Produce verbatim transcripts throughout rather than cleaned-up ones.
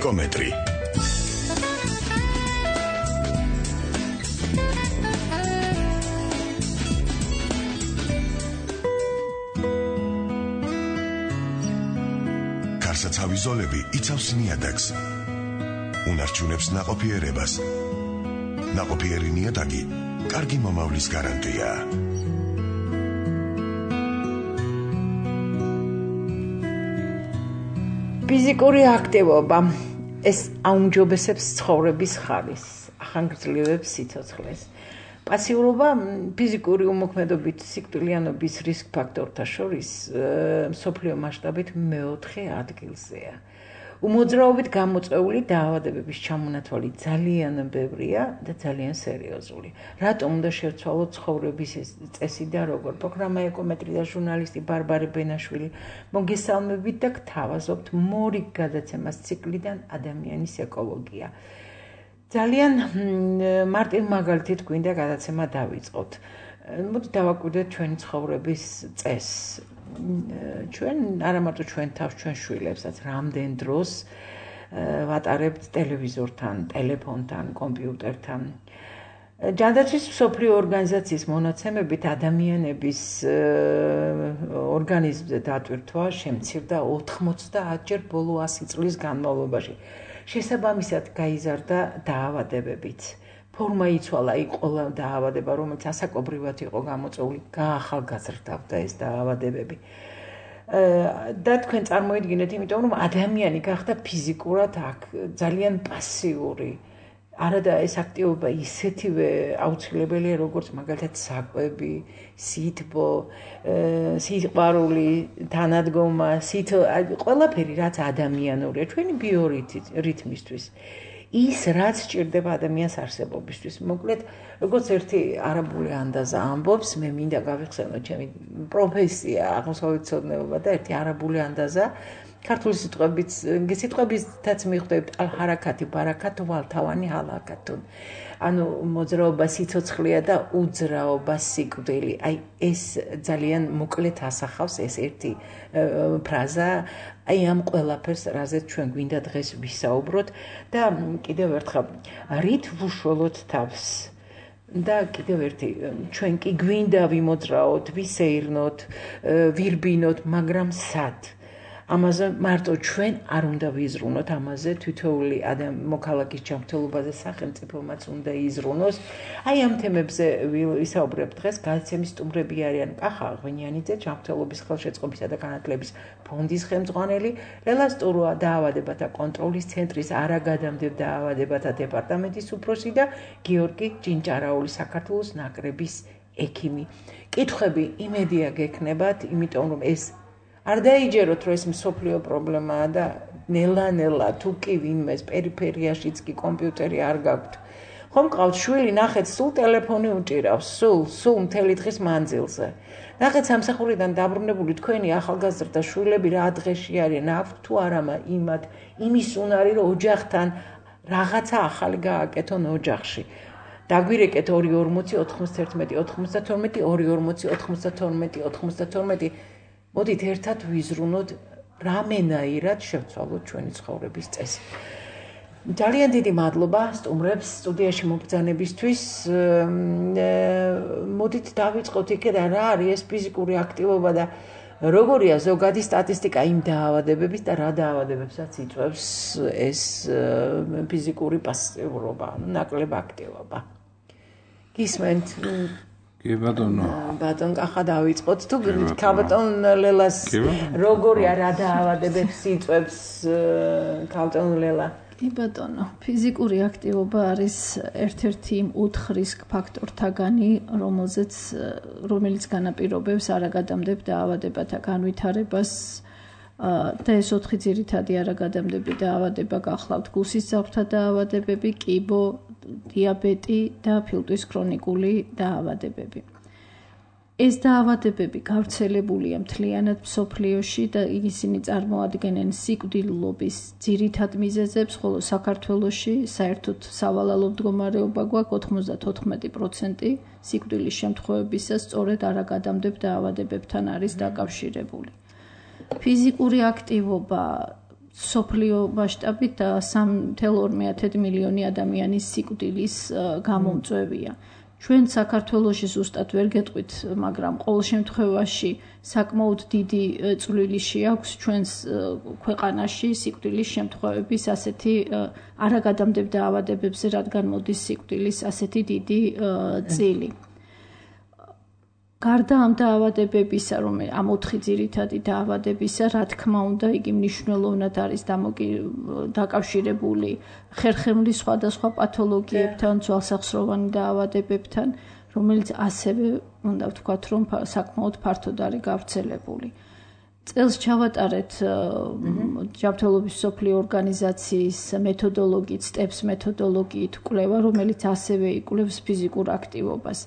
ეკომეტრი. კარსაცავი ზოლები იცავს ნიადაგს. უნარჩუნებს ნაყოფიერებას. ნაყოფიერი ნიადაგი კარგი მომავლის გარანტია. ფიზიკური აქტივობა ეს აუმჯობესებს ცხოვრების ხარისხს, ახანგრძლივებს სიცოცხლეს. პასიურობა ფიზიკური უმოქმედობით სიკვდილიანობის რისკ ფაქტორთა შორის მსოფლიო მასშტაბით მეოთხე ადგილზეა. უმოძრაობით გამოწვეული დაავადებების ჩამონათვალი ძალიან ბევრია და ძალიან სერიოზული. რატომ უნდა შევცვალოთ ცხოვრების წესი და როგორ? პროგრამა ეკომეტრი და ჟურნალისტი ბარბარე ბენაშვილი მოგესალმებით და გთავაზობთ მორიგ გადაცემას ციკლიდან ადამიანის ეკოლოგია. ძალიან მარტივ მაგალითით გვინდა გადაცემა დავიწყოთ. მოდი დავაკვირდეთ ჩვენი ცხოვრების წესს. ჩვენ არა მარტო ჩვენ თავს, ჩვენ შვილებსაც რამდენ დროს ვატარებთ ტელევიზორთან, ტელეფონთან, კომპიუტერთან. ჯანდაცვის მსოფლიო ორგანიზაციის მონაცემებით ადამიანების ორგანიზმზე დატვირთვა შემცირდა ოთხმოცდაათჯერ ბოლო ასი წლის განმავლობაში. შესაბამისად გაიზარდა დაავადებებიც. ფორმა იცვალა, იქ ყველა დაავადება, რომელიც ასაკობრივად იყო გამოწვეული, გაახალგაზრდავდა ეს დაავადებები. და თქვენ წარმოიდგინეთ, იმიტომ რომ ადამიანი გახდა ფიზიკურად აქ ძალიან პასიური. არადა ეს აქტივობა ისეთივე აუცილებელია, როგორც მაგალითად საკვები, სითბო, სიყვარული, თანადგომა, სითო, ყველაფერი რაც ადამიანურია, ჩვენი ბიორიტმისთვის. ის რაც სჭირდება ადამიანს არსებობისთვის. მოკლედ, როგორც ერთი არაბული ანდაზა ამბობს, მე მინდა გავიხსენოთ ჩემი პროფესია აღმოსავლეთმცოდნეობა და ერთი არაბული ანდაზა ქართული სიტყვებით, სიტყვებითაც მიხვდებით ალ-ჰარაკათი ბარაკათუ ვალ-თავანი ჰალაკათუ. ანუ მოძრაობა სიცოცხლეა და უძრაობა სიკვდილი. აი ეს ძალიან მოკლედ ასახავს ეს ერთი ფრაზა. აი ამ ყველაფერს, რაზეც ჩვენ გვინდა დღეს ვისაუბროთ და კიდევ ერთხელ რით ვუშველოთ თავს. და კიდევ ერთი, ჩვენ კი გვინდა ვიმოძრაოთ, ვისეირნოთ, ვირბინოთ, მაგრამ სად? ამაზე მარტო ჩვენ არ უნდა ვიზრუნოთ, ამაზე თითოეული მოქალაქის ჯანმრთელობაზე სახელმწიფომაც უნდა იზრუნოს. აი ამ თემებზე ვისაუბრებ დღეს. გადაცემის სტუმრები არიან კახა ღვინიანიძე, ჯანმრთელობის ხელშეწყობისა და განათლების ფონდის ხელმძღვანელი, ლელა სტუროა, დაავადებათა კონტროლის ცენტრის არაგადამდებელ დაავადებათა დეპარტამენტის უფროსი და გიორგი ჯინჭარაული, საქართველოს ნაკრების ექიმი. კითხვები იმედია გექნებათ, იმიტომ რომ ეს არ დაიჯეროთ, რომ ეს მსოფლიო პრობლემაა და ნელა-ნელა თუ კი ვინმეს პერიფერიაშიც კი კომპიუტერი არ გაქვთ. ხომ მყავთ შვილი, ნახეთ, სულ ტელეფონი უჭირავს, სულ, სულ მთელი დღის მანძილზე. ნახეთ, სამსახურიდან დაბრუნებული თქვენი ახალგაზრდა შვილები რა დღეში არიან, აქვთ თუ არა იმათ, იმის უნარი, რომ ოჯახთან რაღაცა ახალი გააკეთონ ოჯახში. დაგვირეკეთ ორი ორმოცი ოთხმოცდაერთმეტი ოთხმოცდათორმეტი ორი ორმოცი ოთხმოცდათორმეტი ოთხმოცდათორმეტი მოდით ერთად ვიზრუნოთ რამენაირად შევცვალოთ ჩვენი ცხოვრების წესი. ძალიან დიდი მადლობა სტუმრებს სტუდიაში მობრძანებისთვის. მოდით დავიწყოთ იქიდან რა არის ეს ფიზიკური აქტივობა და როგორია ზოგადი სტატისტიკა იმ დაავადებების და რა დაავადებებსაც იწვევს ეს ფიზიკური პასიურობა, ნაკლებ აქტივობა. გისმენთ? კი ბატონო. ბატონ კახა დავიწყოთ თუ ქალბატონ ლელას როგორია რა დაავადებებს იწვევს ქალბატონ ლელა? კი ბატონო, ფიზიკური აქტივობა არის ერთ-ერთი იმ ოთხ რისკ ფაქტორთაგანი, რომელზეც რომელიც განაპირობებს არაგადამდებელ დაავადებათა განვითარებას და ეს ოთხი ძირითადი არაგადამდებელი დაავადება გახლავთ გულსისძაფრთა დაავადებები, კიბო, დიაბეტი და ფილტვის ქრონიკული დაავადებები. ეს დაავადებები გავრცელებულია მთლიანად მსოფლიოში და ისინი წარმოადგენენ სიკვდილობის ძირითად მიზეზებს, ხოლო საქართველოში საერთოდ სავალალო მდგომარეობა გვაქვს ოცდათოთხმეტი პროცენტი სიკვდილის შემთხვევებისას სწორედ არაგადამდებელ დაავადებებთან არის დაკავშირებული. ფიზიკური აქტივობა სოფლიო მასშტაბით სამი ნული ორი მილიონი ადამიანის სიკვდილის გამომწვევია. ჩვენ საქართველოში ზუსტად ვერ გეტყვით, მაგრამ ყოველ შემთხვევაში საკმაოდ დიდი წვლილი შეაქვს ჩვენს ქვეყანაში სიკვდილის შემთხვევების ასეთი არაგადამდებელ დაავადებებზე, რადგან მოდის სიკვდილის ასეთი დიდი წილი. გარდა ამ დაავადებებისა, რომ ამ ოთხი ძირითადი დაავადებისა, რა თქმა უნდა, იგი მნიშვნელოვნად არის დაკავშირებული ხერხემლის სხვადასხვა პათოლოგიებთან, ძვალსახსროვანი დაავადებებთან, რომელიც ასევე უნდა ვთქვათ, რომ საკმაოდ ფართოდ არის გავრცელებული. წელს ჩავატარეთ ჯანმრთელობის მსოფლიო ორგანიზაციის მეთოდოლოგიით, სტეპს მეთოდოლოგიით კვლევა, რომელიც ასევე იკვლევს ფიზიკურ აქტივობას.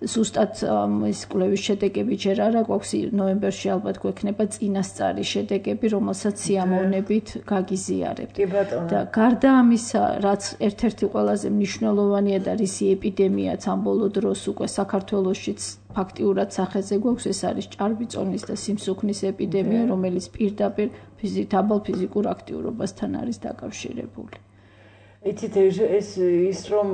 ზუსტად ეს კვლევის შედეგები ჯერ არა გვაქვს, ნოემბერში ალბათ გვექნება წინასწარი შედეგები, რომელსაც სიამოვნებით გაგიზიარებთ. და გარდა ამისა, რაც ერთ-ერთი ყველაზე მნიშვნელოვანია და რისი ეპიდემიაც ამ ბოლო დროს უკვე საქართველოშიც ფაქტიურად სახეზე გვაქვს, ეს არის ჭარბიწონის და სიმსუქნის ეპიდემია, რომელიც პირდაპირ დაბალ ფიზიკურ აქტიურობასთან არის დაკავშირებული. იცით ეს ის რომ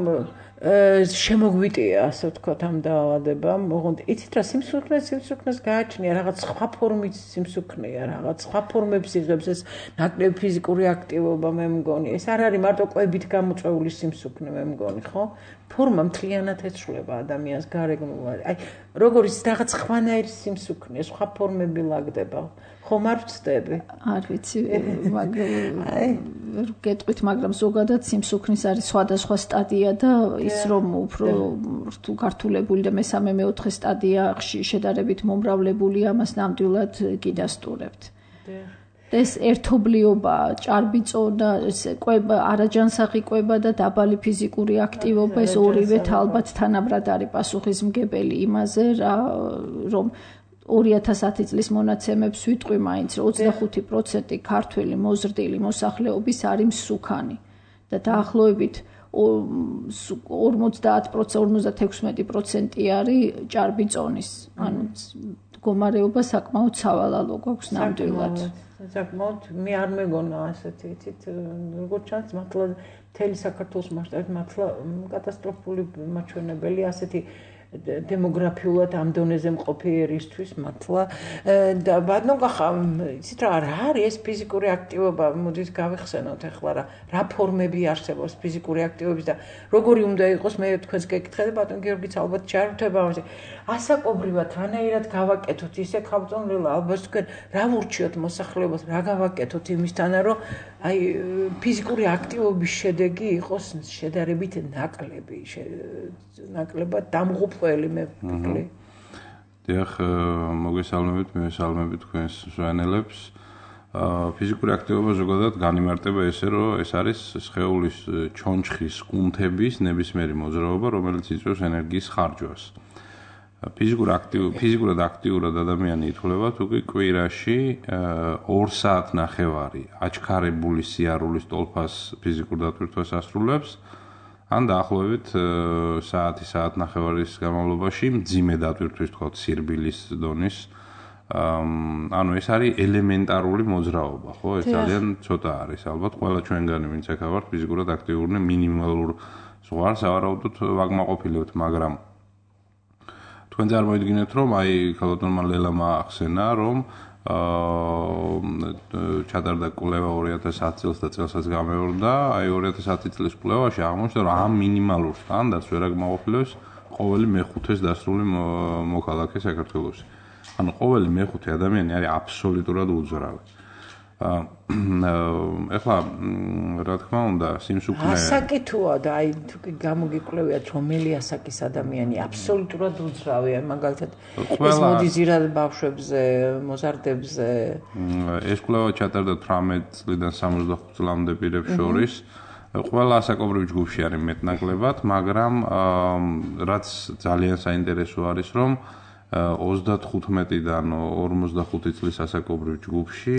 შემოგვიტია, ასე ვთქვათ, ამ დაავადებამ, ოღონდ იცით რა სიმსუქნეს სიმსუქნეს გააჩნია, რაღაც სხვა ფორმის სიმსუქნეა, რაღაც სხვა ფორმებს იღებს ეს ნაკლები ფიზიკური აქტივობა, მე მგონი. ეს არ არის მარტო ყვებით გამოწვეული სიმსუქნე, მე მგონი, ხო? ფორმა მთლიანად ეცვლება ადამიანს გარეგნულად. აი, როგორიც რაღაც ხვანაირი სიმსუქნე, სხვა ფორმები ლაგდება. ხომ არ ვწდები? არ ვიცი, მაგრამ გეტყვით, მაგრამ ზოგადად სიმსუქნის არის სხვადასხვა სტადია და ის რომ უფრო რთულ გართულებული და მესამე მეოთხე სტადია შედარებით მომრავლებული, ამას ნამდვილად გიდასტურებთ. ეს ერთობლიობა, ჭარბიწონა, კვება, არაჯანსაღი კვება და დაბალი ფიზიკური აქტივობა, ეს ორივე ალბათ თანაბრად არის პასუხისმგებელი იმაზე, რომ ორი ათას ათი წლის მონაცემებს ვიტყვი მაინც, რომ ოცდახუთი პროცენტი ქართველი მოზრდილი მოსახლეობის არის მსუქანი და დაახლოებით ორმოცდაათი პროცენტი არის ჭარბიწონის. ანუ მდგომარეობა საკმაოდ სავალალო გვაქვს ნამდვილად. საკმაოდ მე არ მეგონა ასეთი, იცით, როგორც ჩანს, მართლა მთელი საქართველოს მასშტაბით მართლა კატასტროფული მაჩვენებელი ასეთი დემოგრაფიულად ამ დონეზე მყოფი ერისთვის მართლა და ბატონო გახა, იცით რა არის ეს ფიზიკური აქტივობა, მოდით გავიხსენოთ ახლა რა რა ფორმები არსებობს ფიზიკური აქტივობის და როგორი უნდა იყოს, მე თქვენს გეკითხეთ, ბატონ გიორგიც ალბათ ჩაერთვება ამაზე. ასაკობრივად რანაირად გავაკეთოთ ისე ხავწონილ ალბათ თქვენ რა ვურჩიოთ მოსახლეობას, რა გავაკეთოთ იმისთანა, რომ აი ფიზიკური აქტივობის შედეგი იყოს შედარებით ნაკლები, ნაკლებად დამღუპველი მე ვფიქრი. დიახ, მოგესალმებით, მივესალმებით თქვენს მსვენელებს. ფიზიკური აქტივობა ზოგადად განიმარტება ესე, რომ ეს არის სხეულის ჩონჩხის კუნთების ნებისმიერი მოძრაობა, რომელიც იწვევს ენერგიის ხარჯვას. ფიზიკურ აქტივ ფიზიკურად აქტიურად ადამიანი ითვლება თუ კი კვირაში ორ საათნახევარი აჩქარებული სიარულის ტოლფას ფიზიკურ დატვირთვას ასრულებს, ან დაახლოებით საათი საათნახევარის განმავლობაში მძიმე დატვირთვის, თქვათ, სირბილის დონის. ანუ ეს არის ელემენტარული მოძრაობა, ხო? ეს ძალიან ცოტა არის. ალბათ ყველა ჩვენგანი, ვინც აქ ვართ, ფიზიკურად აქტიური მინიმალურ ზღვარს ავარაუდოთ ვაკმაყოფილებთ, მაგრამ თქვენ წარმოიდგინეთ, რომ აი ქალბატონმა ლელამა ახსენა, რომ ჩატარდა კვლევა ორი ათას ათი წელს და წელსაც გამეორდა, აი ორი ათას ათი წლის კვლევაში აღმოჩნდა, რომ ამ მინიმალურ სტანდარტს ვერ აკმაყოფილებს ყოველი მეხუთეს დასრული მოქალაქე საქართველოში. ანუ ყოველი მეხუთე ადამიანი არის აბსოლუტურად უძრავი. ეხლა რა თქმა უნდა, სიმსუქნე ასაკი თუა და აი თუ კი გამოგიკვლევიათ, რომელი ასაკის ადამიანი აბსოლუტურად უძრავია, მაგალითად ეს მოდის ირად ბავშვებზე, მოზარდებზე. ეს კვლევა ჩატარდა თვრამეტ წლიდან სამოცდახუთ წლამდე პირებს შორის. ყველა ასაკობრივ ჯგუფში არის მეტნაკლებად, მაგრამ რაც ძალიან საინტერესო არის, რომ ოცდათხუთმეტიდან ორმოცდახუთი წლის ასაკობრივ ჯგუფში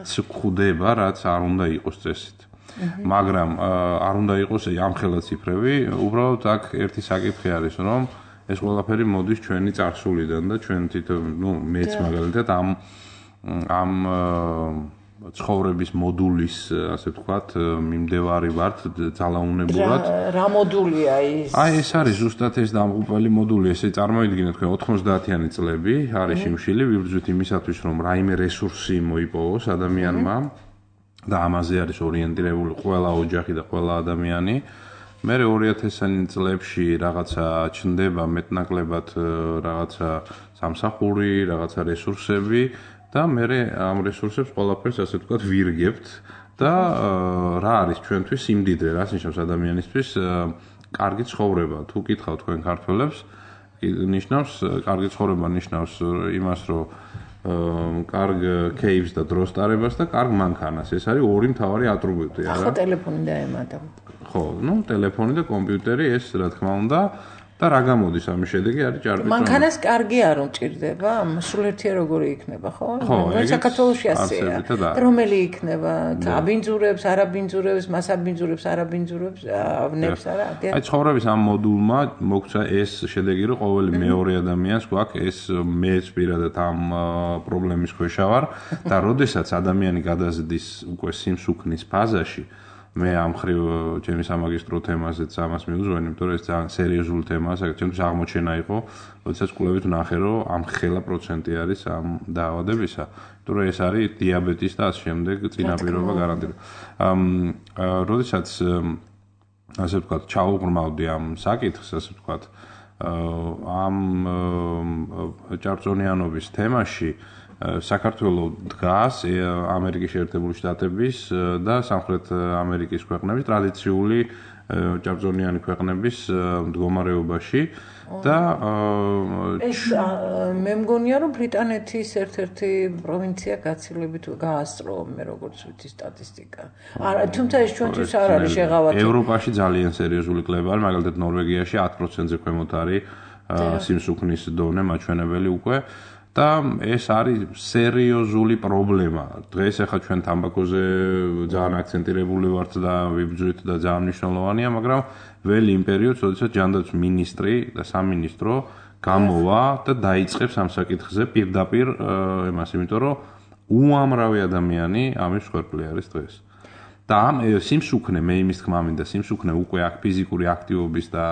გვხვდება, რაც არ უნდა იყოს წესით. მაგრამ არ უნდა იყოს ამხელა ციფრები, უბრალოდ აქ ერთი საკითხი არის, რომ ეს ყველაფერი მოდის ჩვენი წარსულიდან და ჩვენ თვითონ, ნუ მეც მაგალითად ამ ამ ცხოვრების მოდულის, ასე ვთქვათ, მიმდევარი ვართ ძალაუნებურად. რა მოდულია ის? აი, ეს არის ზუსტად ეს დამღუპველი მოდული, ესე წარმოიდგინეთ, თქვენ ოთხმოცდაათიანი წლები არის შიმშილი, ვიბრძვით იმისათვის, რომ რაიმე რესურსი მოიპოვოს ადამიანმა და ამაზე არის ორიენტირებული ყველა ოჯახი და ყველა ადამიანი. მე ორი ათასიანი წლებში რაღაცა ჩნდება მეტნაკლებად რაღაცა სამსახური, რაღაცა რესურსები და მე ამ რესურსებს ყველაფერს ასე ვთქვათ ვირგებთ და რა არის ჩვენთვის სიმდიდრე, რას ნიშნავს ადამიანისთვის კარგი ცხოვრება. თუ კითხავთ თქვენ ქართველებს, ნიშნავს კარგი ცხოვრება ნიშნავს იმას, რომ კარგ кейვს და დროს ტარებას და კარგ მანქანას. ეს არის ორი მთავარი ატრიბუტი, არა? ხო, ტელეფონი და ემატა. ხო, ну, ტელეფონი და კომპიუტერი ეს რა თქმა უნდა და რა გამოდის ამის შედეგი არის ჭარბი. მანქანას კარგი არ უმჭირდება, სულერთია როგორი იქნება, ხო? საქართველოში ასეა. რომელი იქნება? აბინძურებს, არაბინძურებს, მასაბინძურებს, არაბინძურებს, ავნებს არა? აი, ცხოვრების ამ მოდულმა მოგცა ეს შედეგი, რომ ყოველი მეორე ადამიანს გვაქვს ეს მეც პირადად ამ პრობლემის ქვეშა ვარ და როდესაც ადამიანი გადაზდის უკვე სიმსუქნის ფაზაში მე ამ ხრივ ჩემი სამაგისტრო თემაზეც ამას მივუძღვენი, იმიტომ რომ ეს ძალიან სერიოზული თემაა, საერთოდ აღმოჩენა იყო, როდესაც კვლევით ვნახე, რომ ამ ხელა პროცენტი არის ამ დაავადებისა, იმიტომ რომ ეს არის დიაბეტის და ამ შემდეგ წინაპირობა გარანტირებული. როდესაც ასე ვთქვათ, ჩაუღრმავდი ამ საკითხს, ასე ვთქვათ, ამ ჭარბწონიანობის თემაში საქართველოს დგას ამერიკის შეერთებული შტატების და სამხრეთ ამერიკის ქვეყნების ტრადიციული ჭარბწონიანი ქვეყნების მდგომარეობაში და ეს მე მგონია რომ ბრიტანეთის ერთ-ერთი პროვინცია გაცილებით გაასწრო მე როგორც ვიცი სტატისტიკა. არა, თუმცა ეს ჩვენთვის არ არის შეღავათი. ევროპაში ძალიან სერიოზული კლება არის, მაგალითად ნორვეგიაში ათი პროცენტზე ქვემოთ არის სიმსუქნის დონე მაჩვენებელი უკვე. და ეს არის სერიოზული პრობლემა. დღეს ახლა ჩვენ თამბაქოზე ძალიან აქცენტირებული ვართ და ვიბრძვით და ძალიან მნიშვნელოვანია, მაგრამ ველი იმ პერიოდს, როდესაც ჯანდაცვის მინისტრი და სამინისტრო გამოვა და დაიწყებს ამ საკითხზე პირდაპირ იმას, იმიტომ რომ უამრავი ადამიანი ამის მსხვერპლი არის დღეს. და ამ სიმსუქნე, მე იმის თქმა მინდა, სიმსუქნე უკვე აქ ფიზიკური აქტივობის და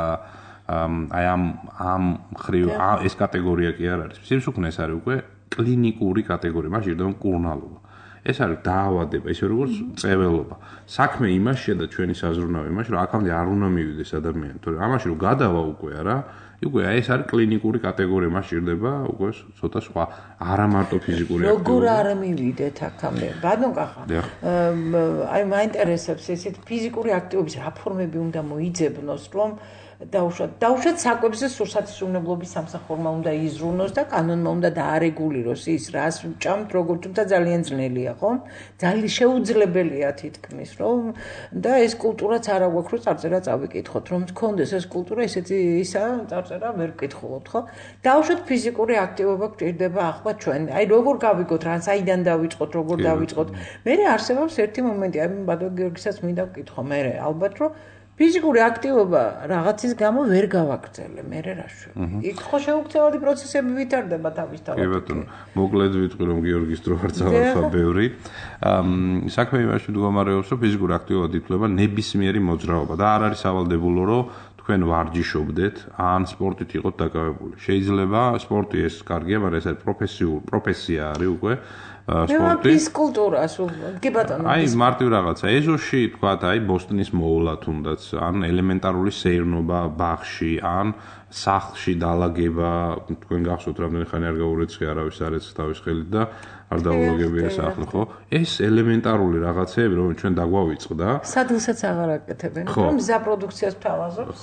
აი ამ ამ ხრივ ეს კატეგორია კი არ არის. სიმსუქნე ეს არის უკვე კლინიკური კატეგორია, მაშინ ირდება მკურნალობა. ეს არის დაავადება, ისე როგორც წეველობა. საქმე იმაშია და ჩვენი საზრუნავი იმაში, რომ აქამდე არ უნდა მივიდეს ადამიანი, თორე ამაში რომ გადავა უკვე არა, უკვე ეს არის კლინიკური კატეგორია, მაშინ ირდება უკვე ცოტა სხვა, არა მარტო ფიზიკური აქტივობა. როგორ არ მივიდეთ აქამდე? ბატონ კახა. აი მაინტერესებს ესეთ ფიზიკური აქტივობის რა ფორმები უნდა მოიძებნოს, რომ დაუშვათ დაუშვათ საკვებზე სურსათისუნებლობის სამსახურმა უნდა იზრუნოს და კანონმა უნდა დაარეგულიროს ის რას ჭამთ როგორ თუმცა ძალიან ძნელია ხო ძალიან შეუძლებელია თითქმის რომ და ეს კულტურაც არა გვაქვს რომ წარწერა წავიკითხოთ რომ თქონდეს ეს კულტურა ესეთი ისა წარწერა ვერ ვკითხულობთ ხო დაუშვათ ფიზიკური აქტივობა გჭირდება ახლა ჩვენ აი როგორ გავიგოთ რა საიდან დავიწყოთ როგორ დავიწყოთ მე არსებობს ერთი მომენტი აი ბატონ გიორგისაც მინდა ვკითხო მე ალბათ რომ ფიზიკური აქტივობა რაღაცის გამო ვერ გავაგრძელე, მე რა შვები. იქ ხო შეუქცევადი პროცესები ვითარდება თავისთავად. კი ბატონო, მოკლედ ვიტყვი რომ გიორგის დრო არ წავარსა ბევრი. საქმე იმაში მდგომარეობს, რომ ფიზიკური აქტივობა ითვლება ნებისმიერი მოძრაობა და არ არის სავალდებულო, რომ თქვენ ვარჯიშობდეთ, ან სპორტით იყოთ დაკავებული. შეიძლება სპორტი ეს კარგია, მაგრამ ეს არის პროფესიული პროფესია არის უკვე. სპორტი. ფიზკულტურას, კი ბატონო. აი, მარტივ რაღაცა. ეზოში, თქვათ, აი, ბოსტონის მოულა თუნდაც, ან ელემენტარული სეირნობა ბაღში, ან სახლში დალაგება, თქვენ გახსოვთ, რამდენი ხანი არ გაურეცხი არავის არ ეცს თავის ხელით და არ დაულოგებია სახლი, ხო? ეს ელემენტარული რაღაცეები, რომ ჩვენ დაგვავიწყდა. სადღაც აღარ აკეთებენ, რომ მზა პროდუქციას თავაზობს.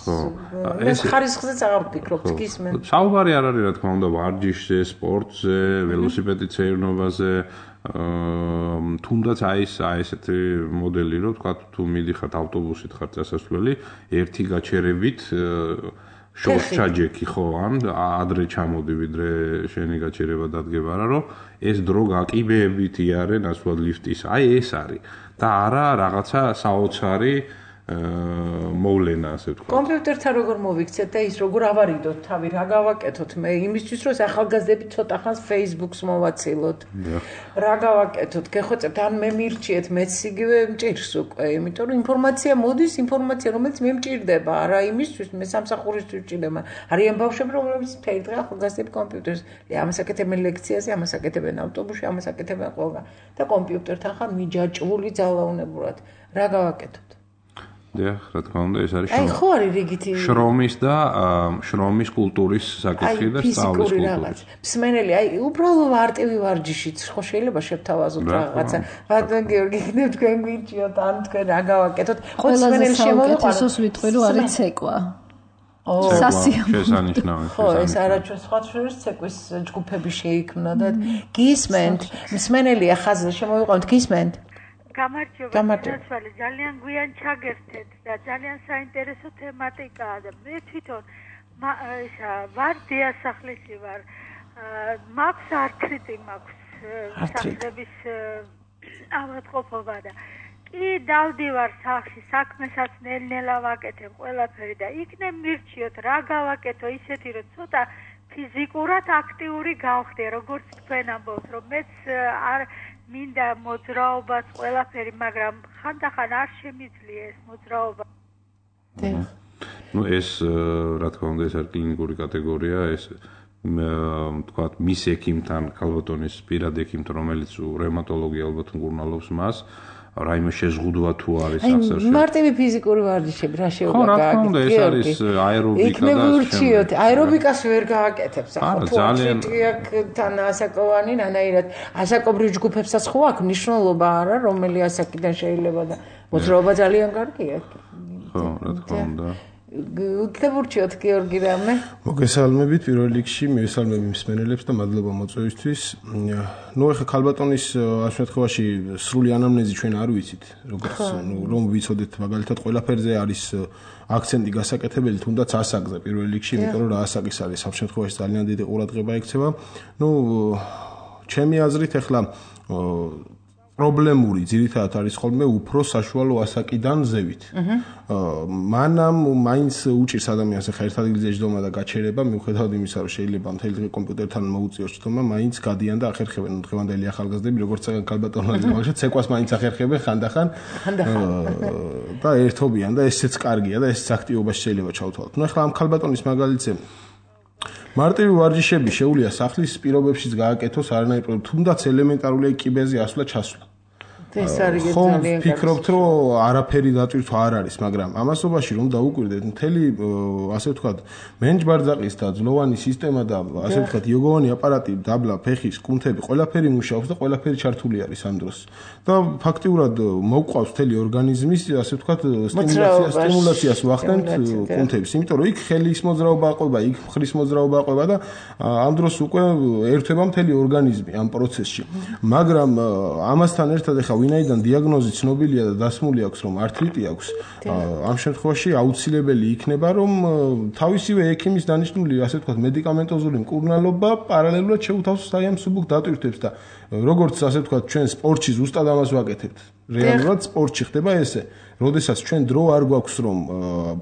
ეს ხარისხზეც აღარ ვფიქრობთ, გისმენ. საუბარი არ არის, რა თქმა უნდა, ვარჯიშზე, სპორტზე, ველოსიპედით სეირნობაზე. თუნდაც აი ეს აი ესეთი მოდელი რომ თქვა თუ მიდიხართ ავტობუსით ხარ წასასვლელი ერთი გაჩერებით შორს ჩაჯექი ხო ან ადრე ჩამოდი ვიდრე შენი გაჩერება დადგება რა რომ ეს დრო გაკიბეებით იარენ ასვად ლიფტის აი ეს არის და არა რაღაცა საოცარი მოვლენა ასე ვთქვათ. კომპიუტერთან როგორ მოვიქცეთ და ის როგორ ავარიდოთ თავი, რა გავაკეთოთ მე იმისთვის რომ ახალგაზრდები ცოტა ხანს Facebook-ს მოვაცილოთ. რა გავაკეთოთ? გეხოცებთ ან მე მირჩიეთ მეც იგივე მჭირს უკვე, იმიტომ რომ ინფორმაცია მოდის, ინფორმაცია რომელიც მე მჭირდება, არა იმისთვის მე სამსახურისთვის მჭირდება. არიან ბავშვები რომლებიც მთელი დღე ახალგაზრდები კომპიუტერს, ამას აკეთებენ ლექციაზე, ამას აკეთებენ ავტობუსში, ამას აკეთებენ ყველგან და კომპიუტერთან ხარ მიჯაჭვული ძალაუნებურად. რა გავაკეთოთ? დიახ, რა თქმა უნდა, ეს არის აი ხო არის რიგითი შრომის და შრომის კულტურის საკითხი და სწავლის კულტურის. მსმენელი, აი უბრალო არტივი ვარჯიშიც ხო შეიძლება შევთავაზოთ რაღაცა. ბატონ გიორგი, იქნებ თქვენ გვიჭიოთ, ან თქვენ რა გავაკეთოთ? ხო მსმენელი შემოვიყვანოთ. ესოს ვიტყვი რომ არის ცეკვა. შესანიშნავი. ხო, ეს არაჩვენს სხვა შორის ცეკვის ჯგუფები შეიქმნა და გისმენთ, მსმენელია ხაზზე შემოვიყვანოთ, გისმენთ. გამარჯობა, ძალიან გვიან ჩაგერთეთ და ძალიან საინტერესო თემატიკაა და მე თვითონ ისა ვარ დიასახლისი ვარ. მაქვს ართრიტი მაქვს სახლების ავადმყოფობა და კი დავდივარ სახლში, საქმესაც ნელ-ნელა ვაკეთებ ყველაფერი და იქნებ მირჩიოთ რა გავაკეთო ისეთი რომ ცოტა ფიზიკურად აქტიური გავხდე, როგორც თქვენ ამბობთ, რომ მეც არ მინდა მოძრაობაც ყველაფერი, მაგრამ ხანდახან არ შემიძლია ეს მოძრაობა. ნუ ეს რა თქმა უნდა ეს არის კლინიკური კატეგორია, ეს თქვათ მის ექიმთან, ქალბატონის პირად ექიმთან, რომელიც რევმატოლოგი ალბათ მკურნალობს მას, რაიმე შეზღუდვა თუ არის აღსარში. მარტივი ფიზიკური ვარჯიშები რა შეიძლება გააკეთოს? ხო, რა თქმა უნდა, ეს არის აერობიკა და შემოერჩიოთ. აერობიკას ვერ გააკეთებს ახლა. ფუჩიტიაკთან ასაკოვანი ნანაირად ასაკობრივ ჯგუფებსაც ხო აქვს მნიშვნელობა არა, რომელი ასაკიდან შეიძლება და მოძრაობა ძალიან კარგია. ხო, რა თქმა უნდა. უთხებურჩიოთ გიორგი რამე. მოგესალმებით პირველ რიგში, მივესალმები მსმენელებს და მადლობა მოწვევისთვის. ნუ ახლა ქალბატონის ამ შემთხვევაში სრული ანამნეზი ჩვენ არ ვიცით, როგორც ნუ რომ ვიცოდეთ მაგალითად ყველაფერზე არის აქცენტი გასაკეთებელი, თუნდაც ასაკზე პირველ რიგში, იმიტომ რომ რა ასაკის არის ამ შემთხვევაში ძალიან დიდი ყურადღება ექცევა. ნუ ჩემი აზრით ახლა პრობლემური ძირითადად არის ხოლმე უფრო საშუალო ასაკიდან ზევით. მანამ მაინც უჭირს ადამიანს ახლა ერთ ადგილზე ჯდომა და გაჩერება, მიუხედავად იმისა, რომ შეიძლება მთელი დღე კომპიუტერთან მოუწიოს ჯდომა, მაინც გადიან და ახერხებენ დღევანდელი ახალგაზრდები, როგორც წეგან ქალბატონები, მაგალითად ცეკვას მაინც ახერხებენ ხანდახან. და ერთობიან და ესეც კარგია და ესეც აქტივობაში შეიძლება ჩავთვალოთ. ნუ ახლა ამ ქალბატონის მაგალითზე მარტივი ვარჯიშები შეუძლია სახლის პირობებშიც გააკეთოს არანაირ პრობლემა, თუნდაც ელემენტარული კიბეზე ასვლა ჩასვლა. ეს არის ძალიან კარგი. ვფიქრობთ, რომ არაფერი დატვირთვა არ არის, მაგრამ ამასობაში რომ დაუკვირდეთ, მთელი ასე ვთქვათ, მენჯბარძაყის და ძლოვანი სისტემა და ასე ვთქვათ, იოგოვანი აპარატი, დაბლა, ფეხის, კუნთები, ყველაფერი მუშაობს და ყველაფერი ჩართული არის ამ დროს. და ფაქტიურად მოყვავს მთელი ორგანიზმის, ასე ვთქვათ, სტიმულაციას, სტიმულაციას ვახდენთ კუნთებს, იმიტომ რომ იქ ხელის მოძრაობა აყვება, იქ მხრის მოძრაობა აყვება და ამ დროს უკვე ერთვება მთელი ორგანიზმი ამ პროცესში. მაგრამ ამასთან ერთად ახლა ვინაიდან დიაგნოზი ცნობილია და დასმული აქვს რომ ართრიტი აქვს, ამ შემთხვევაში აუცილებელი იქნება რომ თავისივე ექიმის დანიშნული, ასე ვთქვათ, მედიკამენტოზული მკურნალობა პარალელურად შეუთავსოს აი ამ მსუბუქ დატვირთვებს და როგორც ასე ვთქვათ, ჩვენ სპორტში ზუსტად ამას ვაკეთებთ. რეალურად სპორტში ხდება ესე. როდესაც ჩვენ დრო არ გვაქვს რომ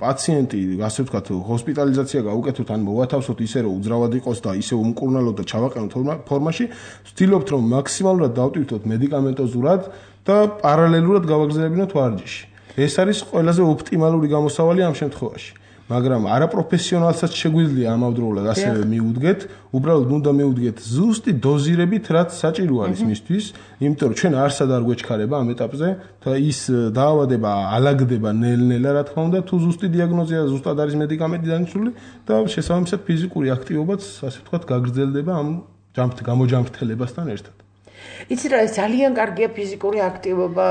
პაციენტი, ასე ვთქვათ, ჰოსპიტალიზაცია გავუკეთოთ ან მოვათავსოთ ისე რომ უძრავად იყოს და ისე უმკურნალოთ და ჩავაყენოთ ფორმაში, ვცდილობთ რომ მაქსიმალურად დავტვირთოთ მედიკამენტოზურად და პარალელურად გავაგრძელებინოთ ვარჯიში. ეს არის ყველაზე ოპტიმალური გამოსავალი ამ შემთხვევაში. მაგრამ არაპროფესიონალსაც შეგვიძლია ამავდროულად ასევე მიუდგეთ, უბრალოდ უნდა მიუდგეთ ზუსტი დოზირებით, რაც საჭირო არის მისთვის, იმიტომ რომ ჩვენ არსად არ გვეჩქარება ამ ეტაპზე და ის დაავადება ალაგდება ნელ-ნელა, რა თქმა უნდა, თუ ზუსტი დიაგნოზია, ზუსტად არის მედიკამენტი დანიშნული და შესაბამისად ფიზიკური აქტივობაც, ასე ვთქვათ, გაგრძელდება ამ გამოჯამრთელებასთან ერთად. იცი რა, ძალიან კარგია ფიზიკური აქტივობა,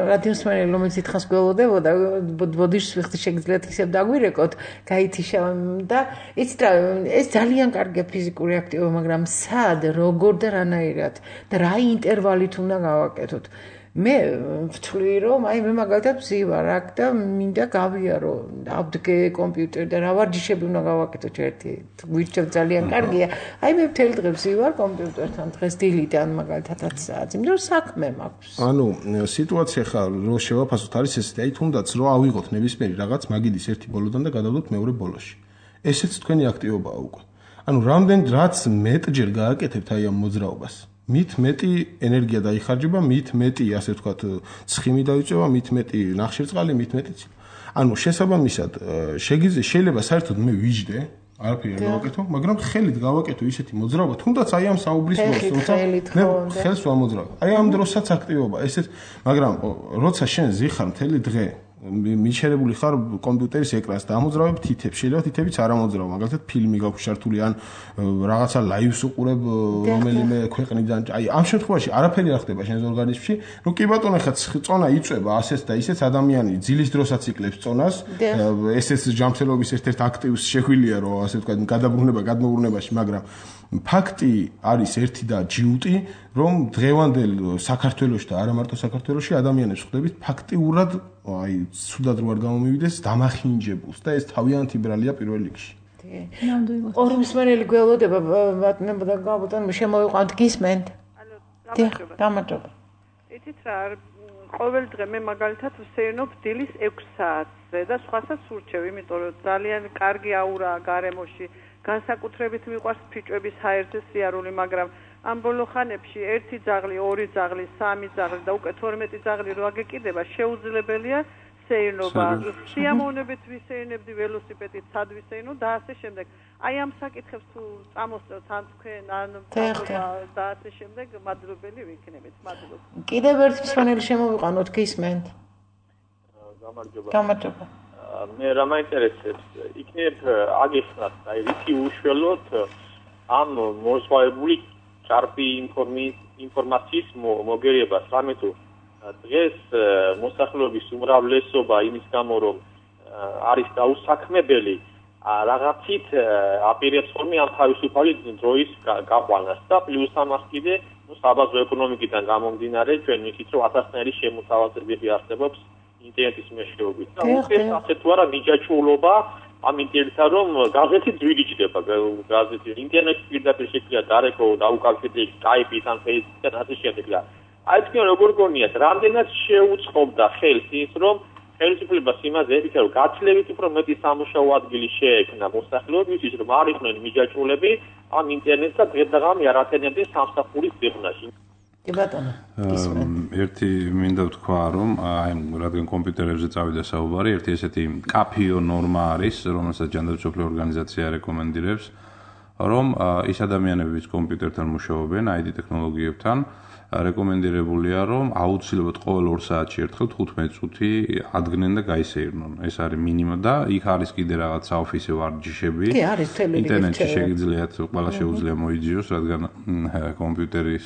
რადიოსმენელი, რომელიც ითხას გველოდებოდა, ბოდიშს ვიხდი შეგიძლიათ ისევ დაგვირეკოთ, გაითიშა და იცი რა, ეს ძალიან კარგია ფიზიკური აქტივობა, მაგრამ სად, როგორ და რანაირად და რა ინტერვალით უნდა გავაკეთოთ. მე ვთვლი რომ აი მე მაგალითად ვზივარ აქ და მინდა გავიარო ავდგე კომპიუტერი და რა ვარჯიშები უნდა გავაკეთო ერთი გვირჩევ ძალიან კარგია აი მე მთელი დღე ვზივარ კომპიუტერთან დღეს დილიდან მაგალითად ათი საათი იმიტომ რომ საქმე მაქვს ანუ სიტუაცია ხა რო შევაფასოთ არის ესეთი აი თუნდაც რო ავიღოთ ნებისმიერი რაღაც მაგიდის ერთი ბოლოდან და გადავდოთ მეორე ბოლოში ესეც თქვენი აქტივობაა უკვე ანუ რამდენ რაც მეტჯერ გააკეთებთ აი ამ მოძრაობას მით მეტი ენერგია დაიხარჯება, მით მეტი, ასე ვთქვათ, ცხიმი დაიწევა, მით მეტი ნახშირწყალი, მით მეტი. ანუ შესაბამისად, შეიძლება საერთოდ მე ვიждე, არაფერი არ გავაკეთო, მაგრამ ხელით გავაკეთო ისეთი მოძრაობა, თუნდაც აი ამ საუბრის დროს, თუმცა მე ხელს ვამოძრავ. აი ამ დროსაც აქტივობა, ესეც, მაგრამ როცა შენ ზიხარ მთელი დღე მიჩერებული ხარ კომპიუტერის ეკრანს და ამოძრავებ თითებს, შეიძლება თითებიც არ ამოძრავ, მაგალითად ფილმი გაქვს ჩართული ან რაღაცა ლაივს უყურებ რომელიმე ქვეყნიდან. აი ამ შემთხვევაში არაფერი არ ხდება შენს ორგანიზმში, რომ კი ბატონო ხა წონა იწვება ასეც და ისეც ადამიანი ძილის დროსაც იკლებს წონას, ესეც ჯანმრთელობის ერთ-ერთ აქტივს შეგვილია რომ ასე ვთქვათ გადაბრუნება გადმოურნებაში, მაგრამ ფაქტი არის ერთი და ჯიუტი, რომ დღევანდელ საქართველოში და არა მარტო საქართველოში ადამიანებს ხვდებით ფაქტიურად აი სუდად რო არ გამომივიდეს დამახინჯებულს და ეს თავიანთი ბრალია პირველ რიგში. ნამდვილად. ორმსმენელი გველოდება ბატონებო და გაბატონო შემოვიყვანთ გისმენთ. ალო, გამარჯობა. იცით რა, ყოველ დღე მე მაგალითად ვსეირნობ დილის ექვს საათზე და სხვასაც ვურჩევ, იმიტომ რომ ძალიან კარგი აურაა გარემოში. განსაკუთრებით მიყვარს ფიჭვების ჰაერზე სიარული, მაგრამ ამ ბოლო ხანებში ერთი ძაღლი, ორი ძაღლი, სამი ძაღლი და უკვე თორმეტი ძაღლი რო აგეკიდება, შეუძლებელია სეირნობა. სიამოვნებით ვისეირნებდი ველოსიპედით, სად ვისეირნო და ასე შემდეგ. აი ამ საკითხებს თუ წამოსწევთ ან თქვენ ან და ასე შემდეგ, მადლობელი ვიქნებით. მადლობა. კიდევ ერთი მსმენელი შემოვიყვანოთ გისმენთ. გამარჯობა. გამარჯობა. მე რა მაინტერესებს, იქნებ აგიხსნათ, აი რითი უშველოთ ამ მოსვავებული ჭარბი ინფორმაციის მოგერიებას, რამე თუ დღეს მოსახლეობის უმრავლესობა იმის გამო რომ არის დაუსაქმებელი, რაღაცით აპირებს ხოლმე ამ თავისუფალი დროის გაყვანას და პლუს ამას კიდე საბაზრო ეკონომიკიდან გამომდინარე ჩვენ ვიცით რომ ათასნაირი შემოთავაზებები არსებობს ინტერნეტის მეშვეობით და უკვე ასე თუ არა მიჯაჭვულობა ამ ინტერნეტთან რომ გაზეთი ძვირიჭდება გაზეთი ინტერნეტის პირდაპირ შექმნა დარეკო დაუკავშირდი სკაიპით ან ფეისბუქთან ასე შემდეგ და აი თქვენ როგორ გონიათ რამდენად შეუწყობდა ხელს ის რომ ხელისუფლებას იმაზე ებითა რომ გაცლებით უფრო მეტი სამუშაო ადგილი შეექმნა მოსახლეობისთვის რომ არ იყვნენ მიჯაჭვულები ამ ინტერნეტსა დღე-დღამი არ ათენებდნენ სამსახურის ზებნაში კი ბატონო ერთი მინდა ვთქვა რომ აი რადგან კომპიუტერებზე წავიდა საუბარი ერთი ესეთი კაფიო ნორმა არის რომელსაც ჯანდაცვის ორგანიზაცია რეკომენდირებს რომ ის ადამიანები ვინც კომპიუტერთან მუშაობენ აი დი ტექნოლოგიებთან რეკომენდირებულია რომ აუცილებლად ყოველ ორ საათში ერთხელ თხუთმეტი წუთი ადგნენ და გაისეირნონ ეს არის მინიმა და იქ არის კიდე რაღაც საოფისე ვარჯიშები კი არის თელი ინტერნეტში შეგიძლიათ ყველა შეუძლია მოიძიოს რადგან კომპიუტერის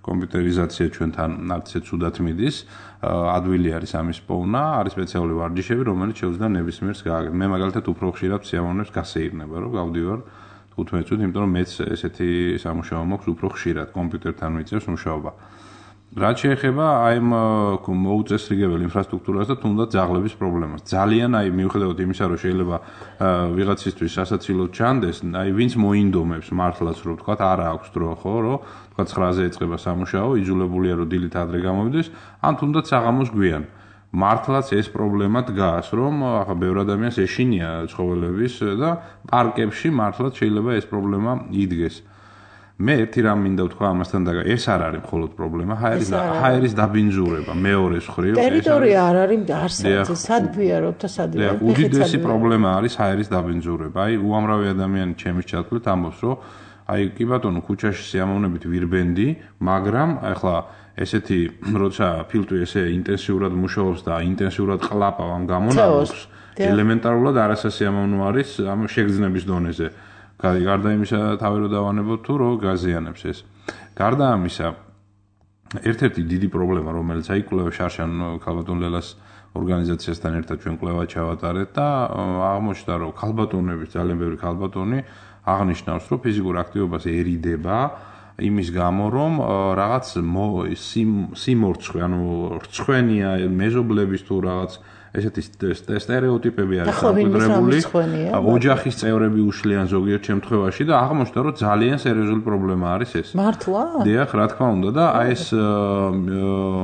კომპიუტერიზაცია ჩვენთან არცე ცუდად მიდის ადვილი არის ამის პოვნა არის სპეციალური ვარჯიშები რომელიც შეუძლია ნებისმიერს გააკეთოს მე მაგალითად უფრო ხშირად სიამოვნებს გასეირნება რომ გავდივარ თხუთმეტი წუთი იმიტომ რომ მეც ესეთი სამუშაო მაქვს უფრო ხშირად კომპიუტერთან ვიწევს მუშაობა რაც შეეხება აი მოუწესრიგებელ ინფრასტრუქტურას და თუნდაც ძაღლების პრობლემას ძალიან აი მიუხედავად იმისა რომ შეიძლება ვიღაცისთვის სასაცილოდ ჩანდეს აი ვინც მოინდომებს მართლაც რომ თქვა არა აქვს დრო ხო რომ თქვა ცხრაზე ეწყება სამუშაო იძულებულია რომ დილით ადრე გამოვიდეს ან თუნდაც საღამოს გვიან მართლაც ეს პრობლემა დგას რომ ახლა ბევრ ადამიანს ეშინია ცხოველების და პარკებში მართლაც შეიძლება ეს პრობლემა იდგეს მე ერთი რამ მინდა ვთქვა ამასთან და ეს არ არის მხოლოდ პრობლემა ჰაერის ჰაერის დაბინძურება მეორე მხრივ ტერიტორია არ არის არსებობს სადბიაროთ და სადიაროთ უდიდესი პრობლემა არის ჰაერის დაბინძურება აი უამრავი ადამიანი ჩემის ჩათვლით ამბობს რომ აი კი ბატონო ქუჩაში სიამოვნებით ვირბენდი მაგრამ ახლა ესეთი როცა ფილტვი ესე ინტენსიურად მუშაობს და ინტენსიურად ყლაპავ ამ გამონაკლისს ელემენტარულად არასასიამოვნო არის ამ შეგრძნების დონეზე გარდა იმისა თავი რო დავანებოთ თუ რო გაზიანებს ეს გარდა ამისა ერთ-ერთი დიდი პრობლემა რომელიც აი კვლევა შარშან ქალბატონ ლელას ორგანიზაციასთან ერთად ჩვენ კვლევა ჩავატარეთ და აღმოჩნდა რომ ქალბატონების ძალიან ბევრი ქალბატონი აღნიშნავს რომ ფიზიკურ აქტივობას ერიდება იმის გამო რომ რაღაც სიმორცხვე, ანუ რცხვენია მეზობლების თუ რაღაც ესეთი სტერეოტიპები არის დამკვიდრებული. ოჯახის წევრები უშლიან ზოგიერთ შემთხვევაში და აღმოჩნდა რომ ძალიან სერიოზული პრობლემა არის ეს. მართლა? დიახ, რა თქმა უნდა და აი ეს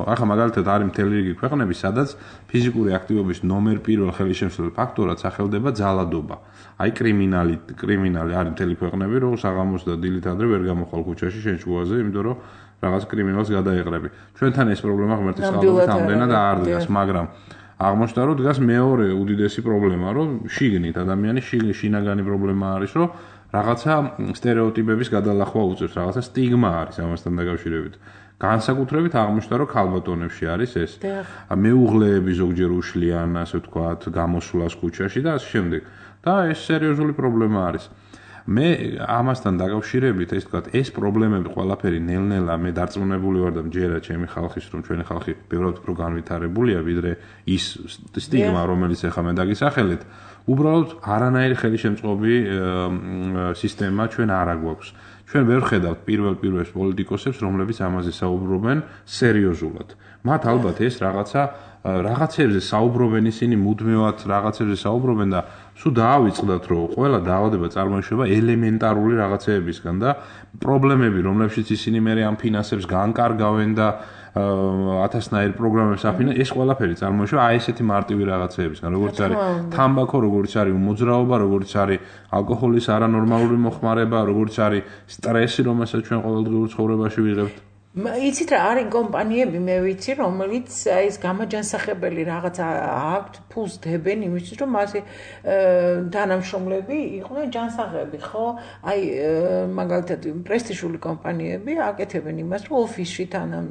ახლა მაგალითად არის მთელი რიგი ქვეყნები, სადაც ფიზიკური აქტივობის ნომერ პირველ ხელისშემშლელ ფაქტორად სახელდება ძალადობა. აი კრიმინალი, კრიმინალი არის მთელი ქვეყნები, რომ საღამოს და დილით ადრე ვერ გამოხვალ ქუჩაში შენ შუაზე, იმიტომ რომ რაღაც კრიმინალს გადაეყრები. ჩვენთან ეს პრობლემა ღმერთის წყალობით ამდენად არ დგას, მაგრამ აღმოჩნდა რომ დგას მეორე უდიდესი პრობლემა, რომ შიგნით ადამიანის შინაგანი პრობლემა არის, რომ რაღაცა სტერეოტიპების გადალახვა უწევს, რაღაცა სტიგმა არის ამასთან დაკავშირებით. განსაკუთრებით აღმოჩნდა რომ ქალბატონებში არის ეს. მეუღლეები ზოგჯერ უშლიან, ასე ვთქვათ, გამოსვლას ქუჩაში და ასე შემდეგ. და ეს სერიოზული პრობლემა არის. მე ამასთან დაკავშირებით, ეს ვთქვათ, ეს პრობლემები ყველაფერი ნელ-ნელა მე დარწმუნებული ვარ და მჯერა ჩემი ხალხის, რომ ჩვენი ხალხი ბევრად უფრო განვითარებულია, ვიდრე ის სტიგმა, რომელიც ახლა მე დაგისახელეთ, უბრალოდ არანაირი ხელისშემწყობი სისტემა ჩვენ არ აგვაქვს. ჩვენ ვერ ხედავთ პირველ პირველს პოლიტიკოსებს, რომლებიც ამაზე საუბრობენ სერიოზულად. მათ ალბათ ეს რაღაცა რაღაცებზე საუბრობენ ისინი მუდმივად რაღაცებზე საუბრობენ და სულ დაავიწყდათ რომ ყველა დაავადება წარმოიშობა ელემენტარული რაღაცეებისგან და პრობლემები რომლებშიც ისინი მე ამ ფინანსებს განკარგავენ და ათასნაირ პროგრამებს აფინანსებენ ეს ყველაფერი წარმოიშობა აი ესეთი მარტივი რაღაცეებისგან როგორც არის თამბაქო როგორც არის მოძრაობა როგორც არის ალკოჰოლის არანორმალური მოხმარება როგორც არის სტრესი რომელსაც ჩვენ ყოველდღიურ ცხოვრებაში ვიღებთ იცით რა არის კომპანიები მე ვიცი რომელიც აი ეს გამაჯანსაღებელი რაღაც აქვთ ფულს დებენ იმისთვის რომ მასე თანამშრომლები იყვნენ ჯანსაღები ხო აი მაგალითად პრესტიჟული კომპანიები აკეთებენ იმას რომ ოფისში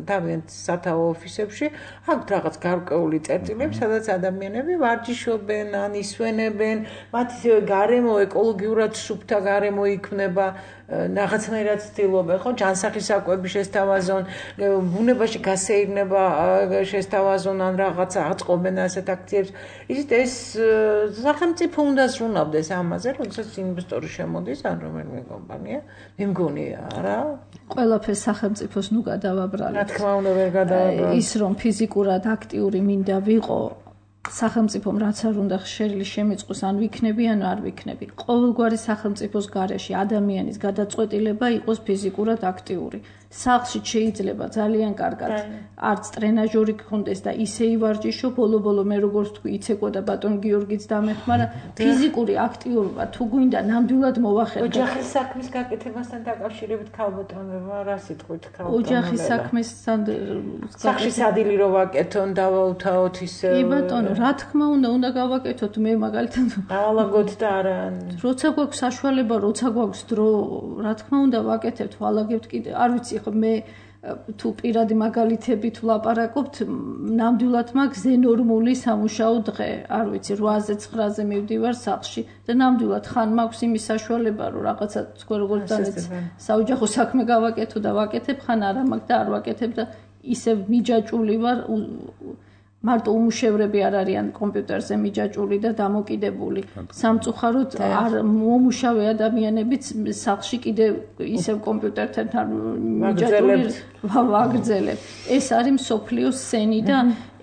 თავიანთ სათაო ოფისებში აქვთ რაღაც გარკვეული წერტილები სადაც ადამიანები ვარჯიშობენ ან ისვენებენ მათი გარემო ეკოლოგიურად სუფთა გარემო იქნება რაღაცნაირად ცდილობენ ხო ჯანსაღის საკვები შესთავაზონ ბუნებაში გასეირნება შესთავაზონ ან რაღაცა აწყობენ ასეთ აქციებს ისეთ ეს სახელმწიფო უნდა ზრუნავდეს ამაზე როდესაც ინვესტორი შემოდის ან რომელიმე კომპანია მე მგონი არა ყველაფერს სახელმწიფოს ნუ გადავაბრალეთ რა თქმა უნდა ვერ გადავაბრალეთ ის რომ ფიზიკურად აქტიური მინდა ვიყო სახელმწიფომ რაც არ უნდა შერილი შემიწყოს ან ვიქნები ან არ ვიქნები ყოველგვარი სახელმწიფოს გარეშე ადამიანის გადაწყვეტილება იყოს ფიზიკურად აქტიური სახლში შეიძლება ძალიან კარგად არც ტრენაჟორი გქონდეს და ისე ივარჯიშო ბოლო-ბოლო მე როგორც თქვი იცეკვა და ბატონ გიორგიც დამეხმარა ფიზიკური აქტიურობა თუ გვინდა ნამდვილად მოვახედოთ ოჯახის საქმის გაკეთებასთან დაკავშირებით ქალბატონებმა რა სიტყვით ქალბატონებმა ოჯახის საქმესთან სახში სადილი რო ვაკეთონ დავაუთავოთ ისე კი ბატონო რა თქმა უნდა უნდა გავაკეთოთ მე მაგალითად დავალაგოთ და არა როცა გვაქვს საშუალება როცა გვაქვს დრო რა თქმა უნდა ვაკეთებთ ვალაგებთ კიდე არ ვიცი ხო მე თუ პირადი მაგალითებით ვლაპარაკობთ ნამდვილად მაქვს ზენორმული სამუშაო დღე არ ვიცი რვაზე ცხრაზე მივდივარ სახლში და ნამდვილად ხან მაქვს იმის საშუალება რომ რაღაცა თქვენ როგორც დანეც საოჯახო საქმე გავაკეთო და ვაკეთებ ხან არა მაქვს და არ ვაკეთებ და ისე მიჯაჭული ვარ მარტო უმუშევრები არ არიან კომპიუტერზე მიჯაჭული და დამოკიდებული. სამწუხაროდ არ მომუშავე ადამიანებიც სახლში კიდე ისევ კომპიუტერთან მიჯაჭული ვაგრძელებ. ეს არის მსოფლიოს სენი და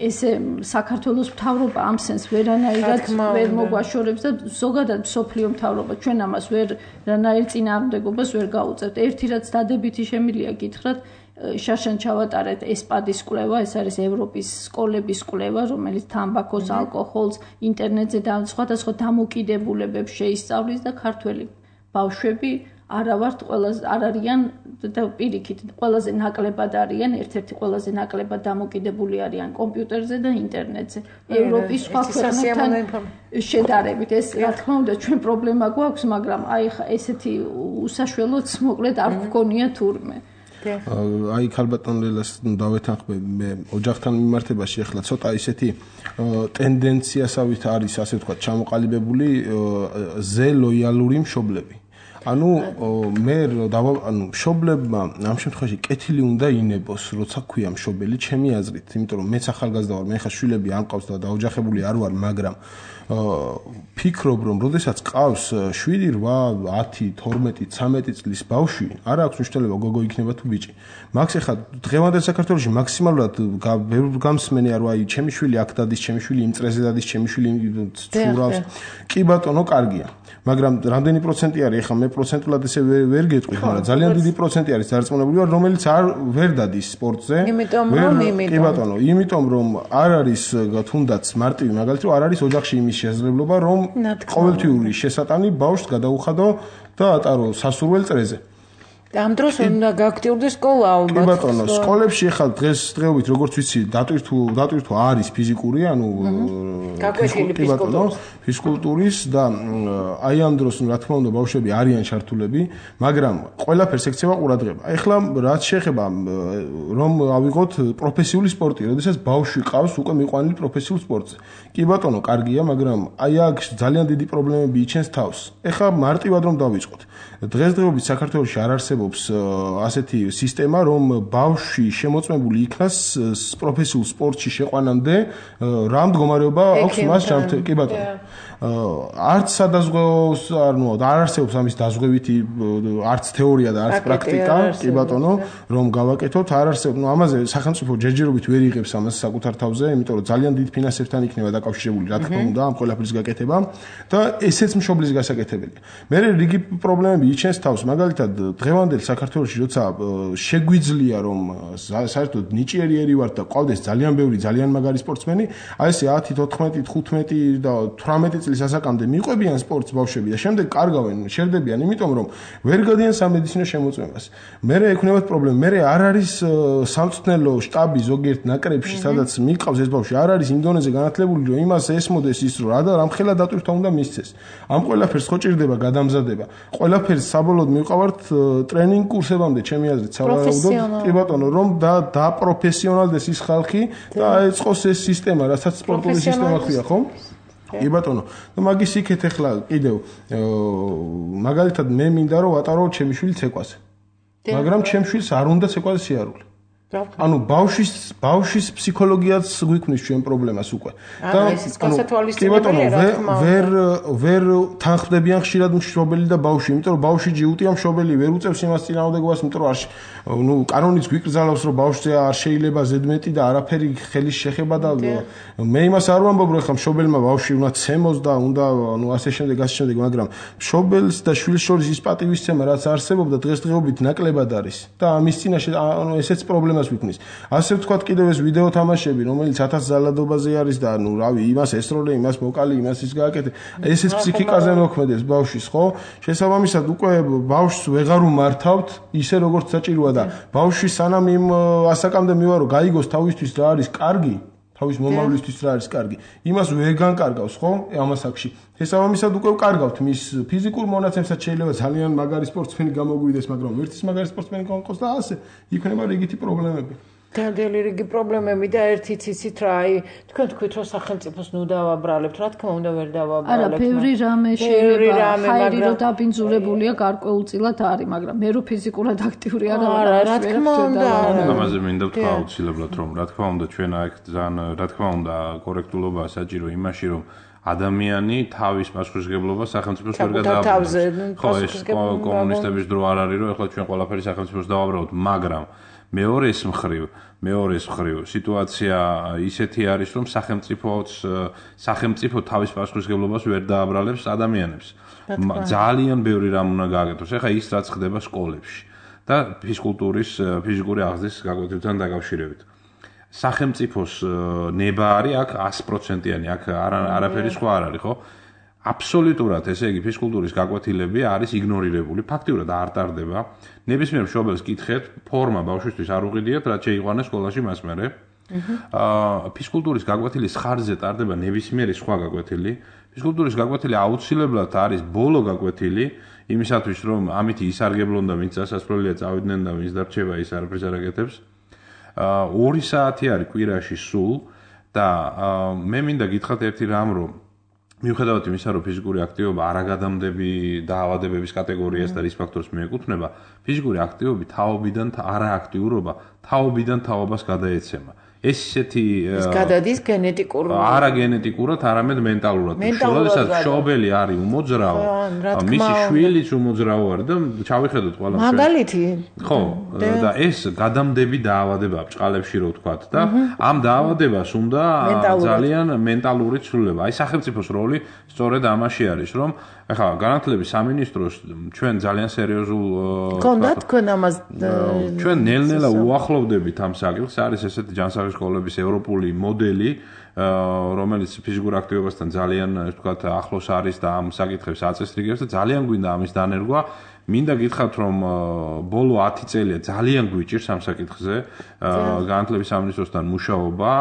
ესე საქართველოს მთავრობა ამ სენს ვერანაირად ვერ მოგვაშორებს და ზოგადად მსოფლიო მთავრობა ჩვენ ამას ვერანაირ წინააღმდეგობას ვერ გაუწევთ. ერთი რაც დადებითი შემიძლია გითხრათ შაშან ჩავატარეთ ესპადის კვლევა, ეს არის ევროპის სკოლების კვლევა, რომელიც თამბაქოს, ალკოჰოლს, ინტერნეტზე და სხვადასხვა დამოკიდებულებებს შეისწავლის და ქართველი ბავშვები არა ვართ ყველაზე არ არიან და პირიქით ყველაზე ნაკლებად არიან, ერთ-ერთი ყველაზე ნაკლებად დამოკიდებული არიან კომპიუტერზე და ინტერნეტზე. ევროპის სხვა ქვეყნებთან შედარებით ეს რა თქმა უნდა ჩვენ პრობლემა გვაქვს, მაგრამ აი ესეთი უსაშველოც მოკლედ არ გვქონია თურმე. აი ქალბატონ ლელას დავეთანხმები მე ოჯახთან მიმართებაში ახლა ცოტა ისეთი ტენდენციასავით არის ასე ვთქვათ ჩამოყალიბებული ზე ლოიალური მშობლები ანუ მე ანუ მშობლებმა ამ შემთხვევაში კეთილი უნდა ინებოს, როცა ქვია მშობელი, ჩემი აზრით, იმიტომ რომ მეც ახალგაზრდა ვარ, მე ხა შვილები არ მყავს და დაოჯახებული არ ვარ, მაგრამ ფიქრობ რომ როდესაც ყავს შვიდი, რვა, ათი, თორმეტი, ცამეტი წლის ბავშვი, არ აქვს მნიშვნელობა გოგო იქნება თუ ბიჭი. მაგს ახლა დღევანდელ საქართველოში მაქსიმალურად გამსმენი არ ვაი, ჩემი შვილი აქ დადის, ჩემი შვილი იმ წრეზე დადის, ჩემი შვილი ცურავს. კი ბატონო, კარგია. მაგრამ რამდენი პროცენტი არის ახლა მე პროცენტულად ესე ვერ გეტყვით, მაგრამ ძალიან დიდი პროცენტი არის დარწმუნებული ვარ, რომელიც არ ვერ დადის სპორტზე. იმიტომ რომ იმიტომ კი ბატონო, იმიტომ რომ არ არის თუნდაც მარტივი მაგალითი რომ არ არის ოჯახში იმის შესაძლებლობა რომ ყოველთვიური შესატანი ბავშვს გადაუხადო და ატარო სასურველ წრეზე. ამ დროს უნდა გააქტიურდეს სკოლა ალბათ. კი ბატონო, სკოლებში ახლა დღეს დღეობით როგორც ვიცი, დატვირთუ დატვირთუ არის ფიზიკური, ანუ გაკვეთილი ფიზკულტურის ფიზკულტურის და აი ამ დროს რა თქმა უნდა ბავშვები არიან ჩართულები, მაგრამ ყველაფერს ექცევა ყურადღება. ახლა რაც შეეხება რომ ავიღოთ პროფესიული სპორტი, როდესაც ბავშვი ყავს უკვე მიყვანილი პროფესიულ სპორტზე. კი ბატონო, კარგია, მაგრამ აი აქ ძალიან დიდი პრობლემები იჩენს თავს. ახლა მარტივად რომ დავიწყოთ. დღესდღეობით საქართველოში არ არსებობს ასეთი სისტემა, რომ ბავშვი შემოწმებული იქნას პროფესიულ სპორტში შეყვანამდე რა მდგომარეობა აქვს მას ჯანმრთელობა. კი ბატონო. არც სადაზღვევოს ანუ არ არსებობს ამის დაზღვევითი არც თეორია და არც პრაქტიკა, კი ბატონო, რომ გავაკეთოთ, არ არსებობს. ნუ ამაზე სახელმწიფო ჯერჯერობით ვერ იღებს ამას საკუთარ თავზე, იმიტომ რომ ძალიან დიდ ფინანსებთან იქნება დაკავშირებული, რა თქმა უნდა, ამ ყველაფრის გაკეთება და ესეც მშობლის გასაკეთებელია. მე რიგი პრობლემები იჩენს თავს, მაგალითად, დღევანდელ საქართველოში როცა შეგვიძლია რომ საერთოდ ნიჭიერი ვართ და ყავდეს ძალიან ბევრი ძალიან მაგარი სპორტსმენი, აი ესე ათი, თოთხმეტი, თხუთმეტი და თვრამეტი წლის ასაკამდე მიყვებიან სპორტს ბავშვები და შემდეგ კარგავენ, შერდებიან, იმიტომ რომ ვერ გადიან სამედიცინო შემოწმებას. მე ექნებათ პრობლემა, მე არ არის სამწვრთნელო შტაბი ზოგიერთ ნაკრებში, სადაც მიყავს ეს ბავშვი, არ არის იმ დონეზე განათლებული, რომ იმას ესმოდეს ის, რომ რა და რამხელა დატვირთვა უნდა მისცეს. ამ ყველაფერს ხო ჭირდება გადამზადება. ყველაფერს საბოლოოდ მივყავართ ტრენინგ კურსებამდე, ჩემი აზრით, სავარაუდოდ, კი ბატონო, რომ და დაპროფესიონალდეს ის ხალხი და აეწყოს ეს სისტემა, რასაც სპორტული სისტემა ქვია, ხო? კი ბატონო, და მაგის იქეთ ახლა კიდევ მაგალითად მე მინდა რომ ვატარო ჩემი შვილი ცეკვაზე. მაგრამ ჩემ შვილს არ უნდა ცეკვაზე სიარული. ანუ ბავშვის ბავშვის ფსიქოლოგიაც გვიქმნის ჩვენ პრობლემას უკვე. და კი ბატონო, ვერ ვერ თანხმდებიან ხშირად მშობელი და ბავშვი, იმიტომ რომ ბავშვი ჯიუტია, მშობელი ვერ უწევს იმას წინააღმდეგობას, იმიტომ რომ არ ნუ კანონიც გვიკრძალავს, რომ ბავშვზე არ შეიძლება ზედმეტი და არაფერი ხელის შეხება და მე იმას არ ვამბობ, რომ ხა მშობელმა ბავშვი უნდა ცემოს და უნდა ნუ ასე შემდეგ, ასე შემდეგ, მაგრამ მშობელს და შვილს შორის ის პატივისცემა, რაც არსებობდა დღესდღეობით ნაკლებად არის და ამის წინაშე ანუ ესეც პრობლემა ასე ვთქვათ კიდევ ეს ვიდეო თამაშები, რომელიც ათას ზალადობაზე არის და ნუ რავი, იმას ესროლე, იმას მოკალი, იმას ის გააკეთე. ესეც ფსიქიკაზე მოქმედებს ბავშვის, ხო? შესაბამისად უკვე ბავშვს ვეღარ უმართავთ ისე როგორც საჭიროა და ბავშვი სანამ იმ ასაკამდე მივა რომ გაიგოს თავისთვის რა არის კარგი, თავის მომავლისთვის რა არის კარგი, იმას ვერ განკარგავს, ხო? ამ ასაკში. შესაბამისად უკვე ვკარგავთ მის ფიზიკურ მონაცემსაც შეიძლება ძალიან მაგარი სპორტსმენი გამოგვიდეს, მაგრამ ერთის მაგარი სპორტსმენი გამყოს და ასე იქნება რიგითი პრობლემები. Დადელი რიგი პრობლემები და ერთიც იცით რა, აი თქვენ თქვით რომ სახელმწიფოს ნუ დავაბრალებთ, რა თქმა უნდა ვერ დავაბრალებთ. არა, ბევრი რამე შეიძლება, ხაირი რომ დაბინძურებულია გარკვეულწილად არის, მაგრამ მე რო ფიზიკურად აქტიური არ ვარ, რა თქმა უნდა. ამაზე მინდა ვთქვა აუცილებლად რომ რა თქმა უნდა ჩვენ აქ ძალიან რა თქმა უნდა კორექტულობა საჭირო იმაში რომ ადამიანი თავის პასუხისმგებლობას სახელმწიფოს ვერ გადააბრუნებს. ხო, ეს კომუნისტების დრო არ არის, რომ ახლა ჩვენ ყველაფერი სახელმწიფოს დავაბრალოთ, მაგრამ მეორეს მხრივ, მეორეს მხრივ სიტუაცია ისეთი არის, რომ სახელმწიფოც სახელმწიფო თავის პასუხისმგებლობას ვერ დააბრალებს ადამიანებს. ძალიან ბევრი რამ უნდა გააკეთოს. ახლა ის რაც ხდება სკოლებში და ფიზკულტურის, ფიზიკური აღზრდის გაკვეთილთან დაკავშირებით. სახელმწიფოს ნება არის აქ ათი პროცენტიანი, აქ არაფერი სხვა არ არის, ხო? აბსოლუტურად, ესე იგი, ფიზკულტურის გაკვეთილები არის იგნორირებული, ფაქტიურად არ ტარდება. ნებისმიერ მშობელს კითხეთ, ფორმა ბავშვისთვის არ უყიდიათ, რაც შეიყვანეს სკოლაში მას მერე. აა ფიზკულტურის გაკვეთილის ხარჯზე ტარდება ნებისმიერი სხვა გაკვეთილი. ფიზკულტურის გაკვეთილი აუცილებლად არის ბოლო გაკვეთილი, იმისათვის რომ ამით ისარგებლონ და ვინც სასასწრელია წავიდნენ და ვინც დარჩება ის არაფერს არ აკეთებს. აა ორი საათი არის კვირაში სულ და მე მინდა გითხრათ ერთი რამ, რომ მიუხედავად იმისა, რომ ფიზიკური აქტივობა არაგადამდები დაავადებების კატეგორიას და რის ფაქტორს მიეკუთვნება, ფიზიკური აქტივობა თაობიდან არააქტიურობა თაობიდან თაობას გადაეცემა. ეს ისეთი ის გადადის გენეტიკურ არა გენეტიკურად, არამედ მენტალურად. შესაძლოა მშობელი არის უმოძრაო, მისი შვილიც უმოძრაო არის და ჩავიხედოთ ყველა ჩვენ. მაგალითი. ხო, და ეს გადამდები დაავადებაა ბჭყალებში რო ვთქვათ და ამ დაავადებას უნდა ძალიან მენტალური ცვლილება. აი სახელმწიფოს როლი სწორედ ამაში არის, რომ ახლა განათლების სამინისტროს ჩვენ ძალიან სერიოზულ გქონდა თქვენ ამას ჩვენ ნელ-ნელა უახლოვდებით ამ საკითხს, არის ესეთი ჯანსაღი სკოლების ევროპული მოდელი, რომელიც ფიზიკურ აქტივობასთან ძალიან, ასე ვთქვათ, ახლოს არის და ამ საკითხებს აწესრიგებს და ძალიან გვინდა ამის დანერგვა. მინდა გითხრათ, რომ ბოლო ათი წელია ძალიან გვიჭირს ამ საკითხზე განათლების სამინისტროსთან მუშაობა,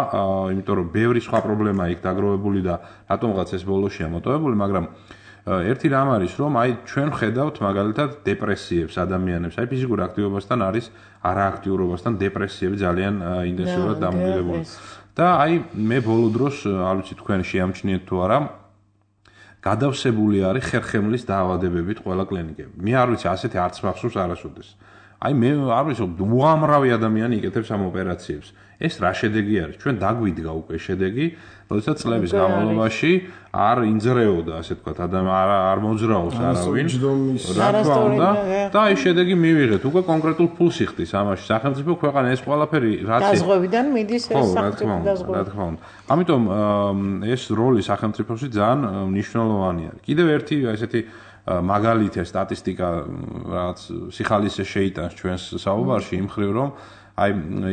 იმიტომ რომ ბევრი სხვა პრობლემა იქ დაგროვებული და რატომღაც ეს ბოლოშია მოტოვებული, მაგრამ ერთი რამ არის, რომ აი ჩვენ ხედავთ მაგალითად დეპრესიებს ადამიანებს, აი ფიზიკურ აქტივობასთან არის არააქტიურობასთან დეპრესიები ძალიან ინტენსიურად დამოკიდებული. და აი მე ბოლო დროს, არ ვიცი თქვენ შეამჩნიეთ თუ არა, გადავსებული არის ხერხემლის დაავადებებით ყველა კლინიკები. მე არ ვიცი, ასეთი არც მახსოვს არასოდეს. აი მე არ ვიცი, უამრავი ადამიანი იკეთებს ამ ოპერაციებს. ეს რა შედეგი არის? ჩვენ დაგვიდგა უკვე შედეგი, როდესაც წლების განმავლობაში არ ინძრეოდა, ასე ვთქვათ, ადამიანი არ არ მოძრაობს არავინ. რა თქმა უნდა, და აი შედეგი მივიღეთ. უკვე კონკრეტულ ფულს იხდის ამაში. სახელმწიფო ქვეყანა ეს ყველაფერი რაც დაზღვევიდან მიდის ეს სახელმწიფო დაზღვევა. რა თქმა უნდა. ამიტომ ეს როლი სახელმწიფოსი ძალიან მნიშვნელოვანი არის. კიდევ ერთი ესეთი მაგალითია სტატისტიკა, რაც სიხალისე შეიტანს ჩვენს საუბარში იმ ხრივ, რომ აი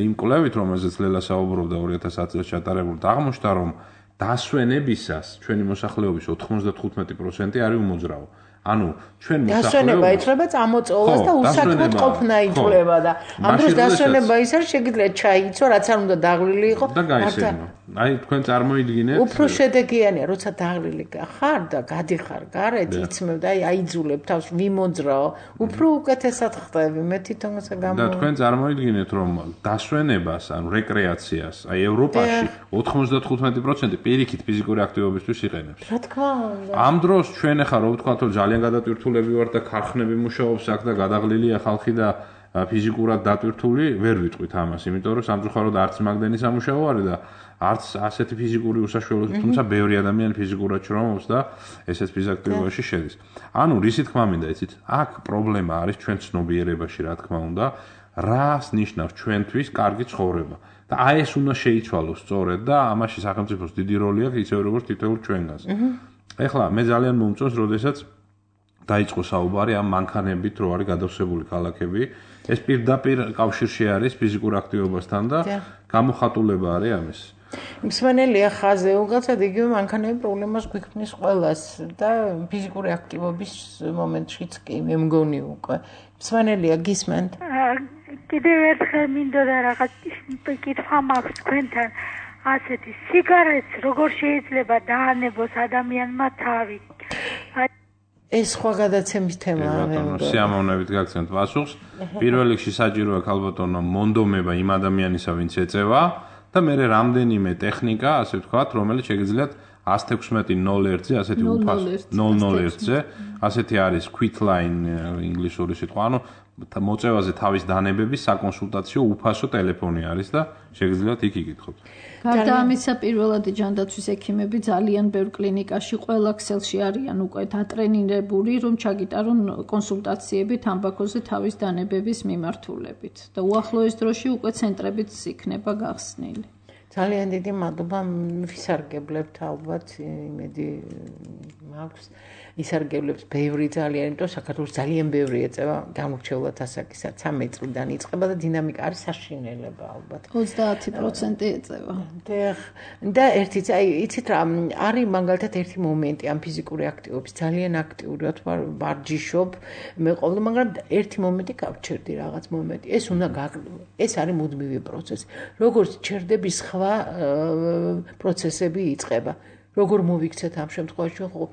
იმ კვლევით, რომელზეც ლელა საუბრობდა ორი ათას ათი წელს ჩატარებულ, აღმოჩნდა, რომ დასვენებისას ჩვენი მოსახლეობის ოთხმოცდათხუთმეტი პროცენტი არის უმოძრაო. ანუ ჩვენ მოსახლეობა დასვენება იწლება წამოწოლას და უსაქმოდ ყოფნა იწლება და ამ დროს დასვენება ის არის შეგიძლიათ ჩაიცო, რაც არ უნდა დაღლილი იყო და გაისერნო. აი თქვენ წარმოიდგინეთ უფრო შედეგიანია, როცა დაღლილი ხარ და გადიხარ გარეთ, იცმევ და აი აიძულებ თავს ვიმოძრაო, უფრო უკეთესად ხდები. მე თვითონ ესე გამო და თქვენ წარმოიდგინეთ, რომ დასვენებას, ანუ რეკრეაციას, აი ევროპაში ოთხმოცდათხუთმეტი პროცენტი პირიქით ფიზიკური აქტივობისთვის იყენებს. რა თქმა უნდა. ამ დროს ჩვენ ახლა რო ვთქვათ, რომ ძალიან გადატვირთულები ვართ და ქარხნები მუშაობს აქ და გადაღლილია ხალხი და ფიზიკურად დატვირთული, ვერ ვიტყვით ამას, იმიტომ რომ სამწუხაროდ არც მაგდენი სამუშაო არის და არც ასეთი ფიზიკური უსაშუალოება, თუმცა ბევრი ადამიანი ფიზიკურად შრომობს და ესეც ფიზიოაქტივობაში შედის. ანუ რისი თქმა მინდა, იცით, აქ პრობლემა არის ჩვენ ცნობიერებაში, რა თქმა უნდა, რას ნიშნავს ჩვენთვის კარგი ცხოვრება. და აი ეს უნდა შეიცვალოს სწორედ და ამაში სახელმწიფოს დიდი როლი აქვს, ისე როგორც თითოეულ ჩვენგანს. ეხლა მე ძალიან მომწონს, როდესაც დაიწყო საუბარი ამ მანქანებით, რო არის გადავსებული ქალაქები. ეს პირდაპირ კავშირში არის ფიზიკურ აქტივობასთან და გამოხატულება არის ამის. მსმენელია ხაზე, უგალცად იგივე მანქანები პრობლემას გვიქმნის ყველას და ფიზიკური აქტივობის მომენტშიც კი მე მგონი უკვე. მსმენელია გისმენთ? კიდევ ერთხელ მინდოდა რაღაც კითხვა მაქვს თქვენთან. ასეთი სიგარეტს როგორ შეიძლება დაანებოს ადამიანმა თავი? ეს სხვა გადაცემის თემაა. სიამოვნებით გაგცემთ პასუხს. პირველ რიგში საჭიროა ქალბატონო მონდომება იმ ადამიანისა, ვინც ეწევა და მე რამდენიმე ტექნიკა, ასე ვთქვათ, რომელიც შეგიძლიათ ას თექვსმეტი ნოლ ერთზე, ასეთი უფასო ნოლ ნოლ ერთზე, ასეთი არის quit line ინგლისური სიტყვა, ანუ მოწევაზე თავის დანებების საკონსულტაციო უფასო ტელეფონი არის და შეგიძლიათ იქ იკითხოთ. გარდა ამისა, პირველადი ჯანდაცვის ექიმები ძალიან ბევრ კლინიკაში ყველა ქსელში არიან უკვე დატრენირებული, რომ ჩაგიტარონ კონსულტაციები თამბაქოზე თავის დანებების მიმართულებით და უახლოეს დროში უკვე ცენტრებიც იქნება გახსნილი. ძალიან დიდი მადლობა, ვისარგებლებთ ალბათ, იმედი მაქვს. ისარგებლებს ბევრი ძალიან, იმიტომ საქართველოს ძალიან ბევრი ეწევა გამორჩეულად ასაკისა, ცამეტ წლიდან იწყება და დინამიკა არის საშინელება ალბათ. ოცდაათი პროცენტი ეწევა. და ერთი, აი, იცით რა, არის მაგალითად ერთი მომენტი ამ ფიზიკური აქტივობის, ძალიან აქტიური ვარ, ვარჯიშობ, მე ყოველ, მაგრამ ერთი მომენტი გავჩერდი რაღაც მომენტი. ეს უნდა ეს არის მუდმივი პროცესი. როგორც ჩერდები, სხვა პროცესები იწყება. როგორ მოვიქცეთ ამ შემთხვევაში ხო?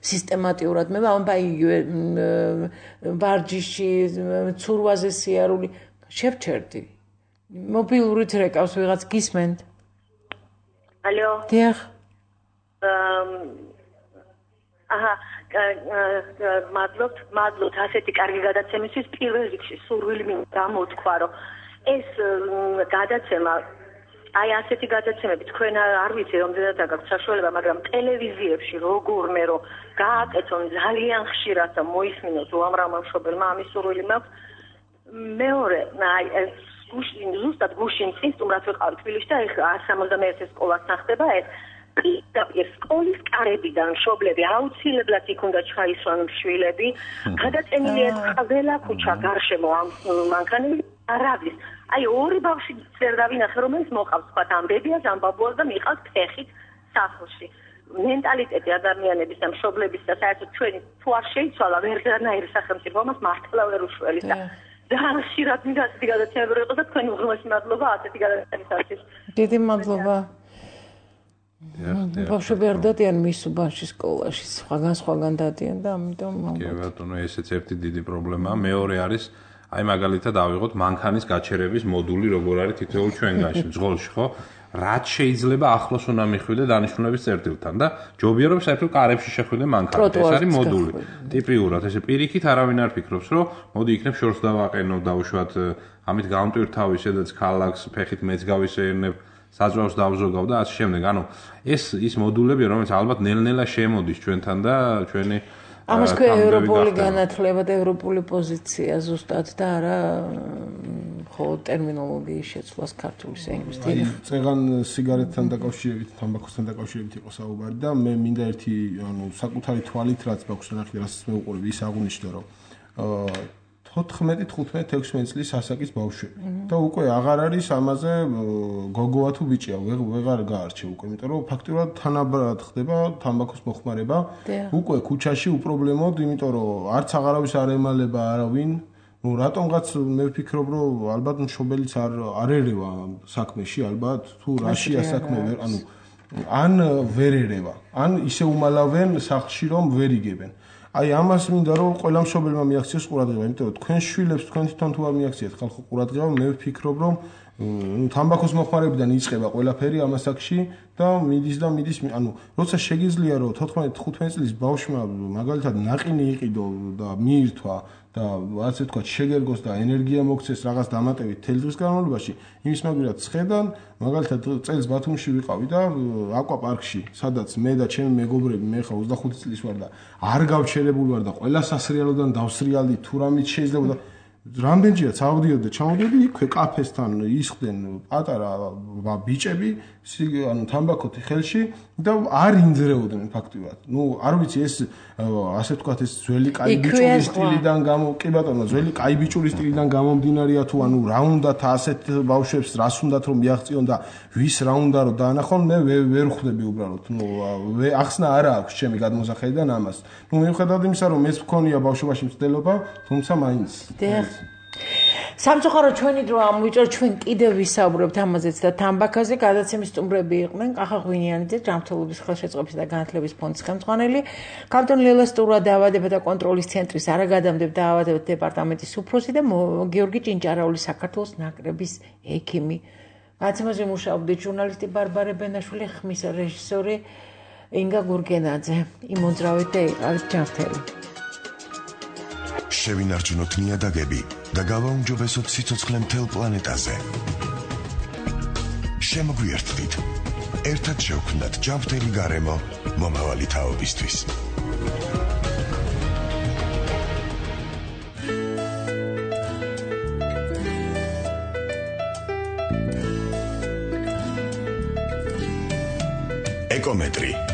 სისტემატიურად მე ვამბაი ვარჯიში, ცურვაზე სიარული შევჩერდი. მობილურით რეკავს ვიღაც გისმენთ? ალო. დიახ. აჰა მადლობთ მადლობთ ასეთი კარგი გადაცემისთვის პირველ რიგში სურვილი მინდა მოთქვა რომ ეს გადაცემა აი ასეთი გადაცემები თქვენ არ ვიცი რამდენად გაქვთ საშუალება მაგრამ ტელევიზიებში როგორმე რომ გააკეთონ ძალიან ხშირად და მოისმინოთ უამრავმა მშობელმა ამის სურვილი მაქვს მეორე აი ეს გუშინ ზუსტად გუშინ წინ სტუმრად ვიყავ თბილისში და ეხლა one seventy-one სკოლასთან ხდება ეს პირდაპირ სკოლის კარებიდან მშობლები აუცილებლად იქ უნდა ჩაისვან შვილები გადაწენილია ყველა ქუჩა გარშემო ამ მანქანები არავის აი ორი ბავშვი ვერ დავინახე რომელიც მოყავს თქვა ამ ბებიას ამ ბაბუას და მიყავს ფეხით სახლში მენტალიტეტი ადამიანების და მშობლების და საერთოდ ჩვენი თუ არ შეიცვალა ვერანაირი სახელმწიფო მას მართლა ვერ უშველის და ძალიან ხშირად მინდა ასეთი გადაცემები რომ იყოს და თქვენი უღრმესი მადლობა ასეთი გადაცემისათვის დიდი მადლობა ბავშვები არ დადიან მის უბანში სკოლაში სხვაგან სხვაგან დადიან და ამიტომ კი ბატონო ესეც ერთი დიდი პრობლემაა მეორე არის აი მაგალითად ავიღოთ მანქანის გაჩერების მოდული როგორ არის თითოეულ ჩვენგანში მძღოლში ხო რაც შეიძლება ახლოს უნდა მიხვიდე დანიშნულების წერტილთან და ჯობია რომ საერთოდ კარებში შეხვიდე მანქანა ეს არის მოდული ტიპიურად ესე პირიქით არავინ არ ფიქრობს რომ მოდი იქნებ შორს დავაყენო დავუშვათ ამით გამტვირთავი სადაც ქალაქს ფეხით მეც გავისეირნებ საძვალს დავზოგავ და ასე შემდეგ ანუ ეს ის მოდულები რომელიც ალბათ ნელ-ნელა შემოდის ჩვენთან და ჩვენი ამას ქვია ევროპული განათლება და ევროპული პოზიცია ზუსტად და არა ხო ტერმინოლოგიის შეცვლას ქართულის ენგვის აი წეგან სიგარეტთან დაკავშირებით თამბაქოსთან დაკავშირებით იყო საუბარი და მე მინდა ერთი ანუ საკუთარი თვალით რაც მაქვს ნახე რასაც მე უყურებ ის აღუნიშნა რომ თოთხმეტი თხუთმეტი ექვსმეტი წლის ასაკის ბავშვები და უკვე აღარ არის ამაზე გოგოა თუ ბიჭია ვეღარ გაარჩევ უკვე იმიტომ რომ ფაქტურად თანაბრად ხდება თამბაქოს მოხმარება უკვე ქუჩაში უპრობლემოდ იმიტომ რომ არც აღარავის არ ემალება არავინ ну რატომღაც მე ვფიქრობ რომ ალბათ მშობელიც არ არ ერევა საქმეში ალბათ თუ რაშია საქმე ვერ ანუ ან ვერ ერევა ან ისე უმალავენ სახლში რომ ვერ იგებენ აი ამას მინდა რომ ყველა მშობელმა მიაქციოს ყურადღება, იმიტომ რომ თქვენ შვილებს თქვენ თვითონ თუ არ მიაქციეთ ხალხო ყურადღება, მე ვფიქრობ რომ თამბაქოს მოხმარებიდან იწყება ყველაფერი ამასაკში და მიდის და მიდის, ანუ როცა შეგიძლია რომ თოთხმეტი თხუთმეტი წლის ბავშვმა მაგალითად ناقინი იყიდო და მიირთვა და ასე თქვა შეგერგოს და ენერგია მოქცეს რაღაც დამატებით თელ დღის განმავლობაში, იმის მაგალითად ცხედან, მაგალითად წელს ბათუმში ვიყავი და აკვაპარკში, სადაც მე და ჩემი მეგობრები, მე ხა ოცდახუთი წლის ვარ და არ გავჩერებული ვარ და ყველა სასრიალოდან დავსრიალდი თუ რამით შეიძლება და რამდენჯერაც ავდიოდი და ჩამოდიოდი იქვე კაფესთან ისხდნენ პატარა ბიჭები, ანუ თამბაქოთი ხელში და არ ინძრეოდნენ ფაქტიურად. ნუ არ ვიცი ეს ასე ვთქვათ ეს ძველი კაი ბიჭურის სტილიდან გამო კი ბატონო ძველი კაი ბიჭურის სტილიდან გამომდინარეა თუ ანუ რა უნდათ ასეთ ბავშვებს რას უნდათ რომ მიაღწიონ და ვის რა უნდა რომ დაანახონ მე ვერ ხვდები უბრალოდ. ნუ ახსნა არა აქვს ჩემი გადმოსახედიდან ამას. ნუ მიუხედავად იმისა რომ მეც მქონია ბავშვობაში მცდელობა, თუმცა მაინც სამწუხარო ჩვენი დრო ამოვიჭრა ჩვენ კიდევ ვისაუბრებთ ამაზეც და თამბაქაზე გადაცემის სტუმრები იყვნენ კახა ღვინიანიძე ჯანმრთელობის ხელშეწყობის და განათლების ფონდის ხელმძღვანელი კანტონ ლელესტურა დაავადებათა და კონტროლის ცენტრის არაგადამდებთა დაავადებათა დეპარტამენტის უფროსი და გიორგი ჭინჭარაული საქართველოს ნაკრების ექიმი გადაცემაზე მუშაობდნენ ჟურნალისტი ბარბარე ბენაშვილი ხმის რეჟისორი ინგა გურგენაძე იმოძრავეთ და იყავით ჯანმრთელი შევინარჩუნოთ ნიადაგები და გავაუმჯობესოთ სიცოცხლე მთელ პლანეტაზე. შემოგვიერთდით. ერთად შევქმნათ ჯანმრთელი გარემო მომავალი თაობისთვის. ეკომეტრი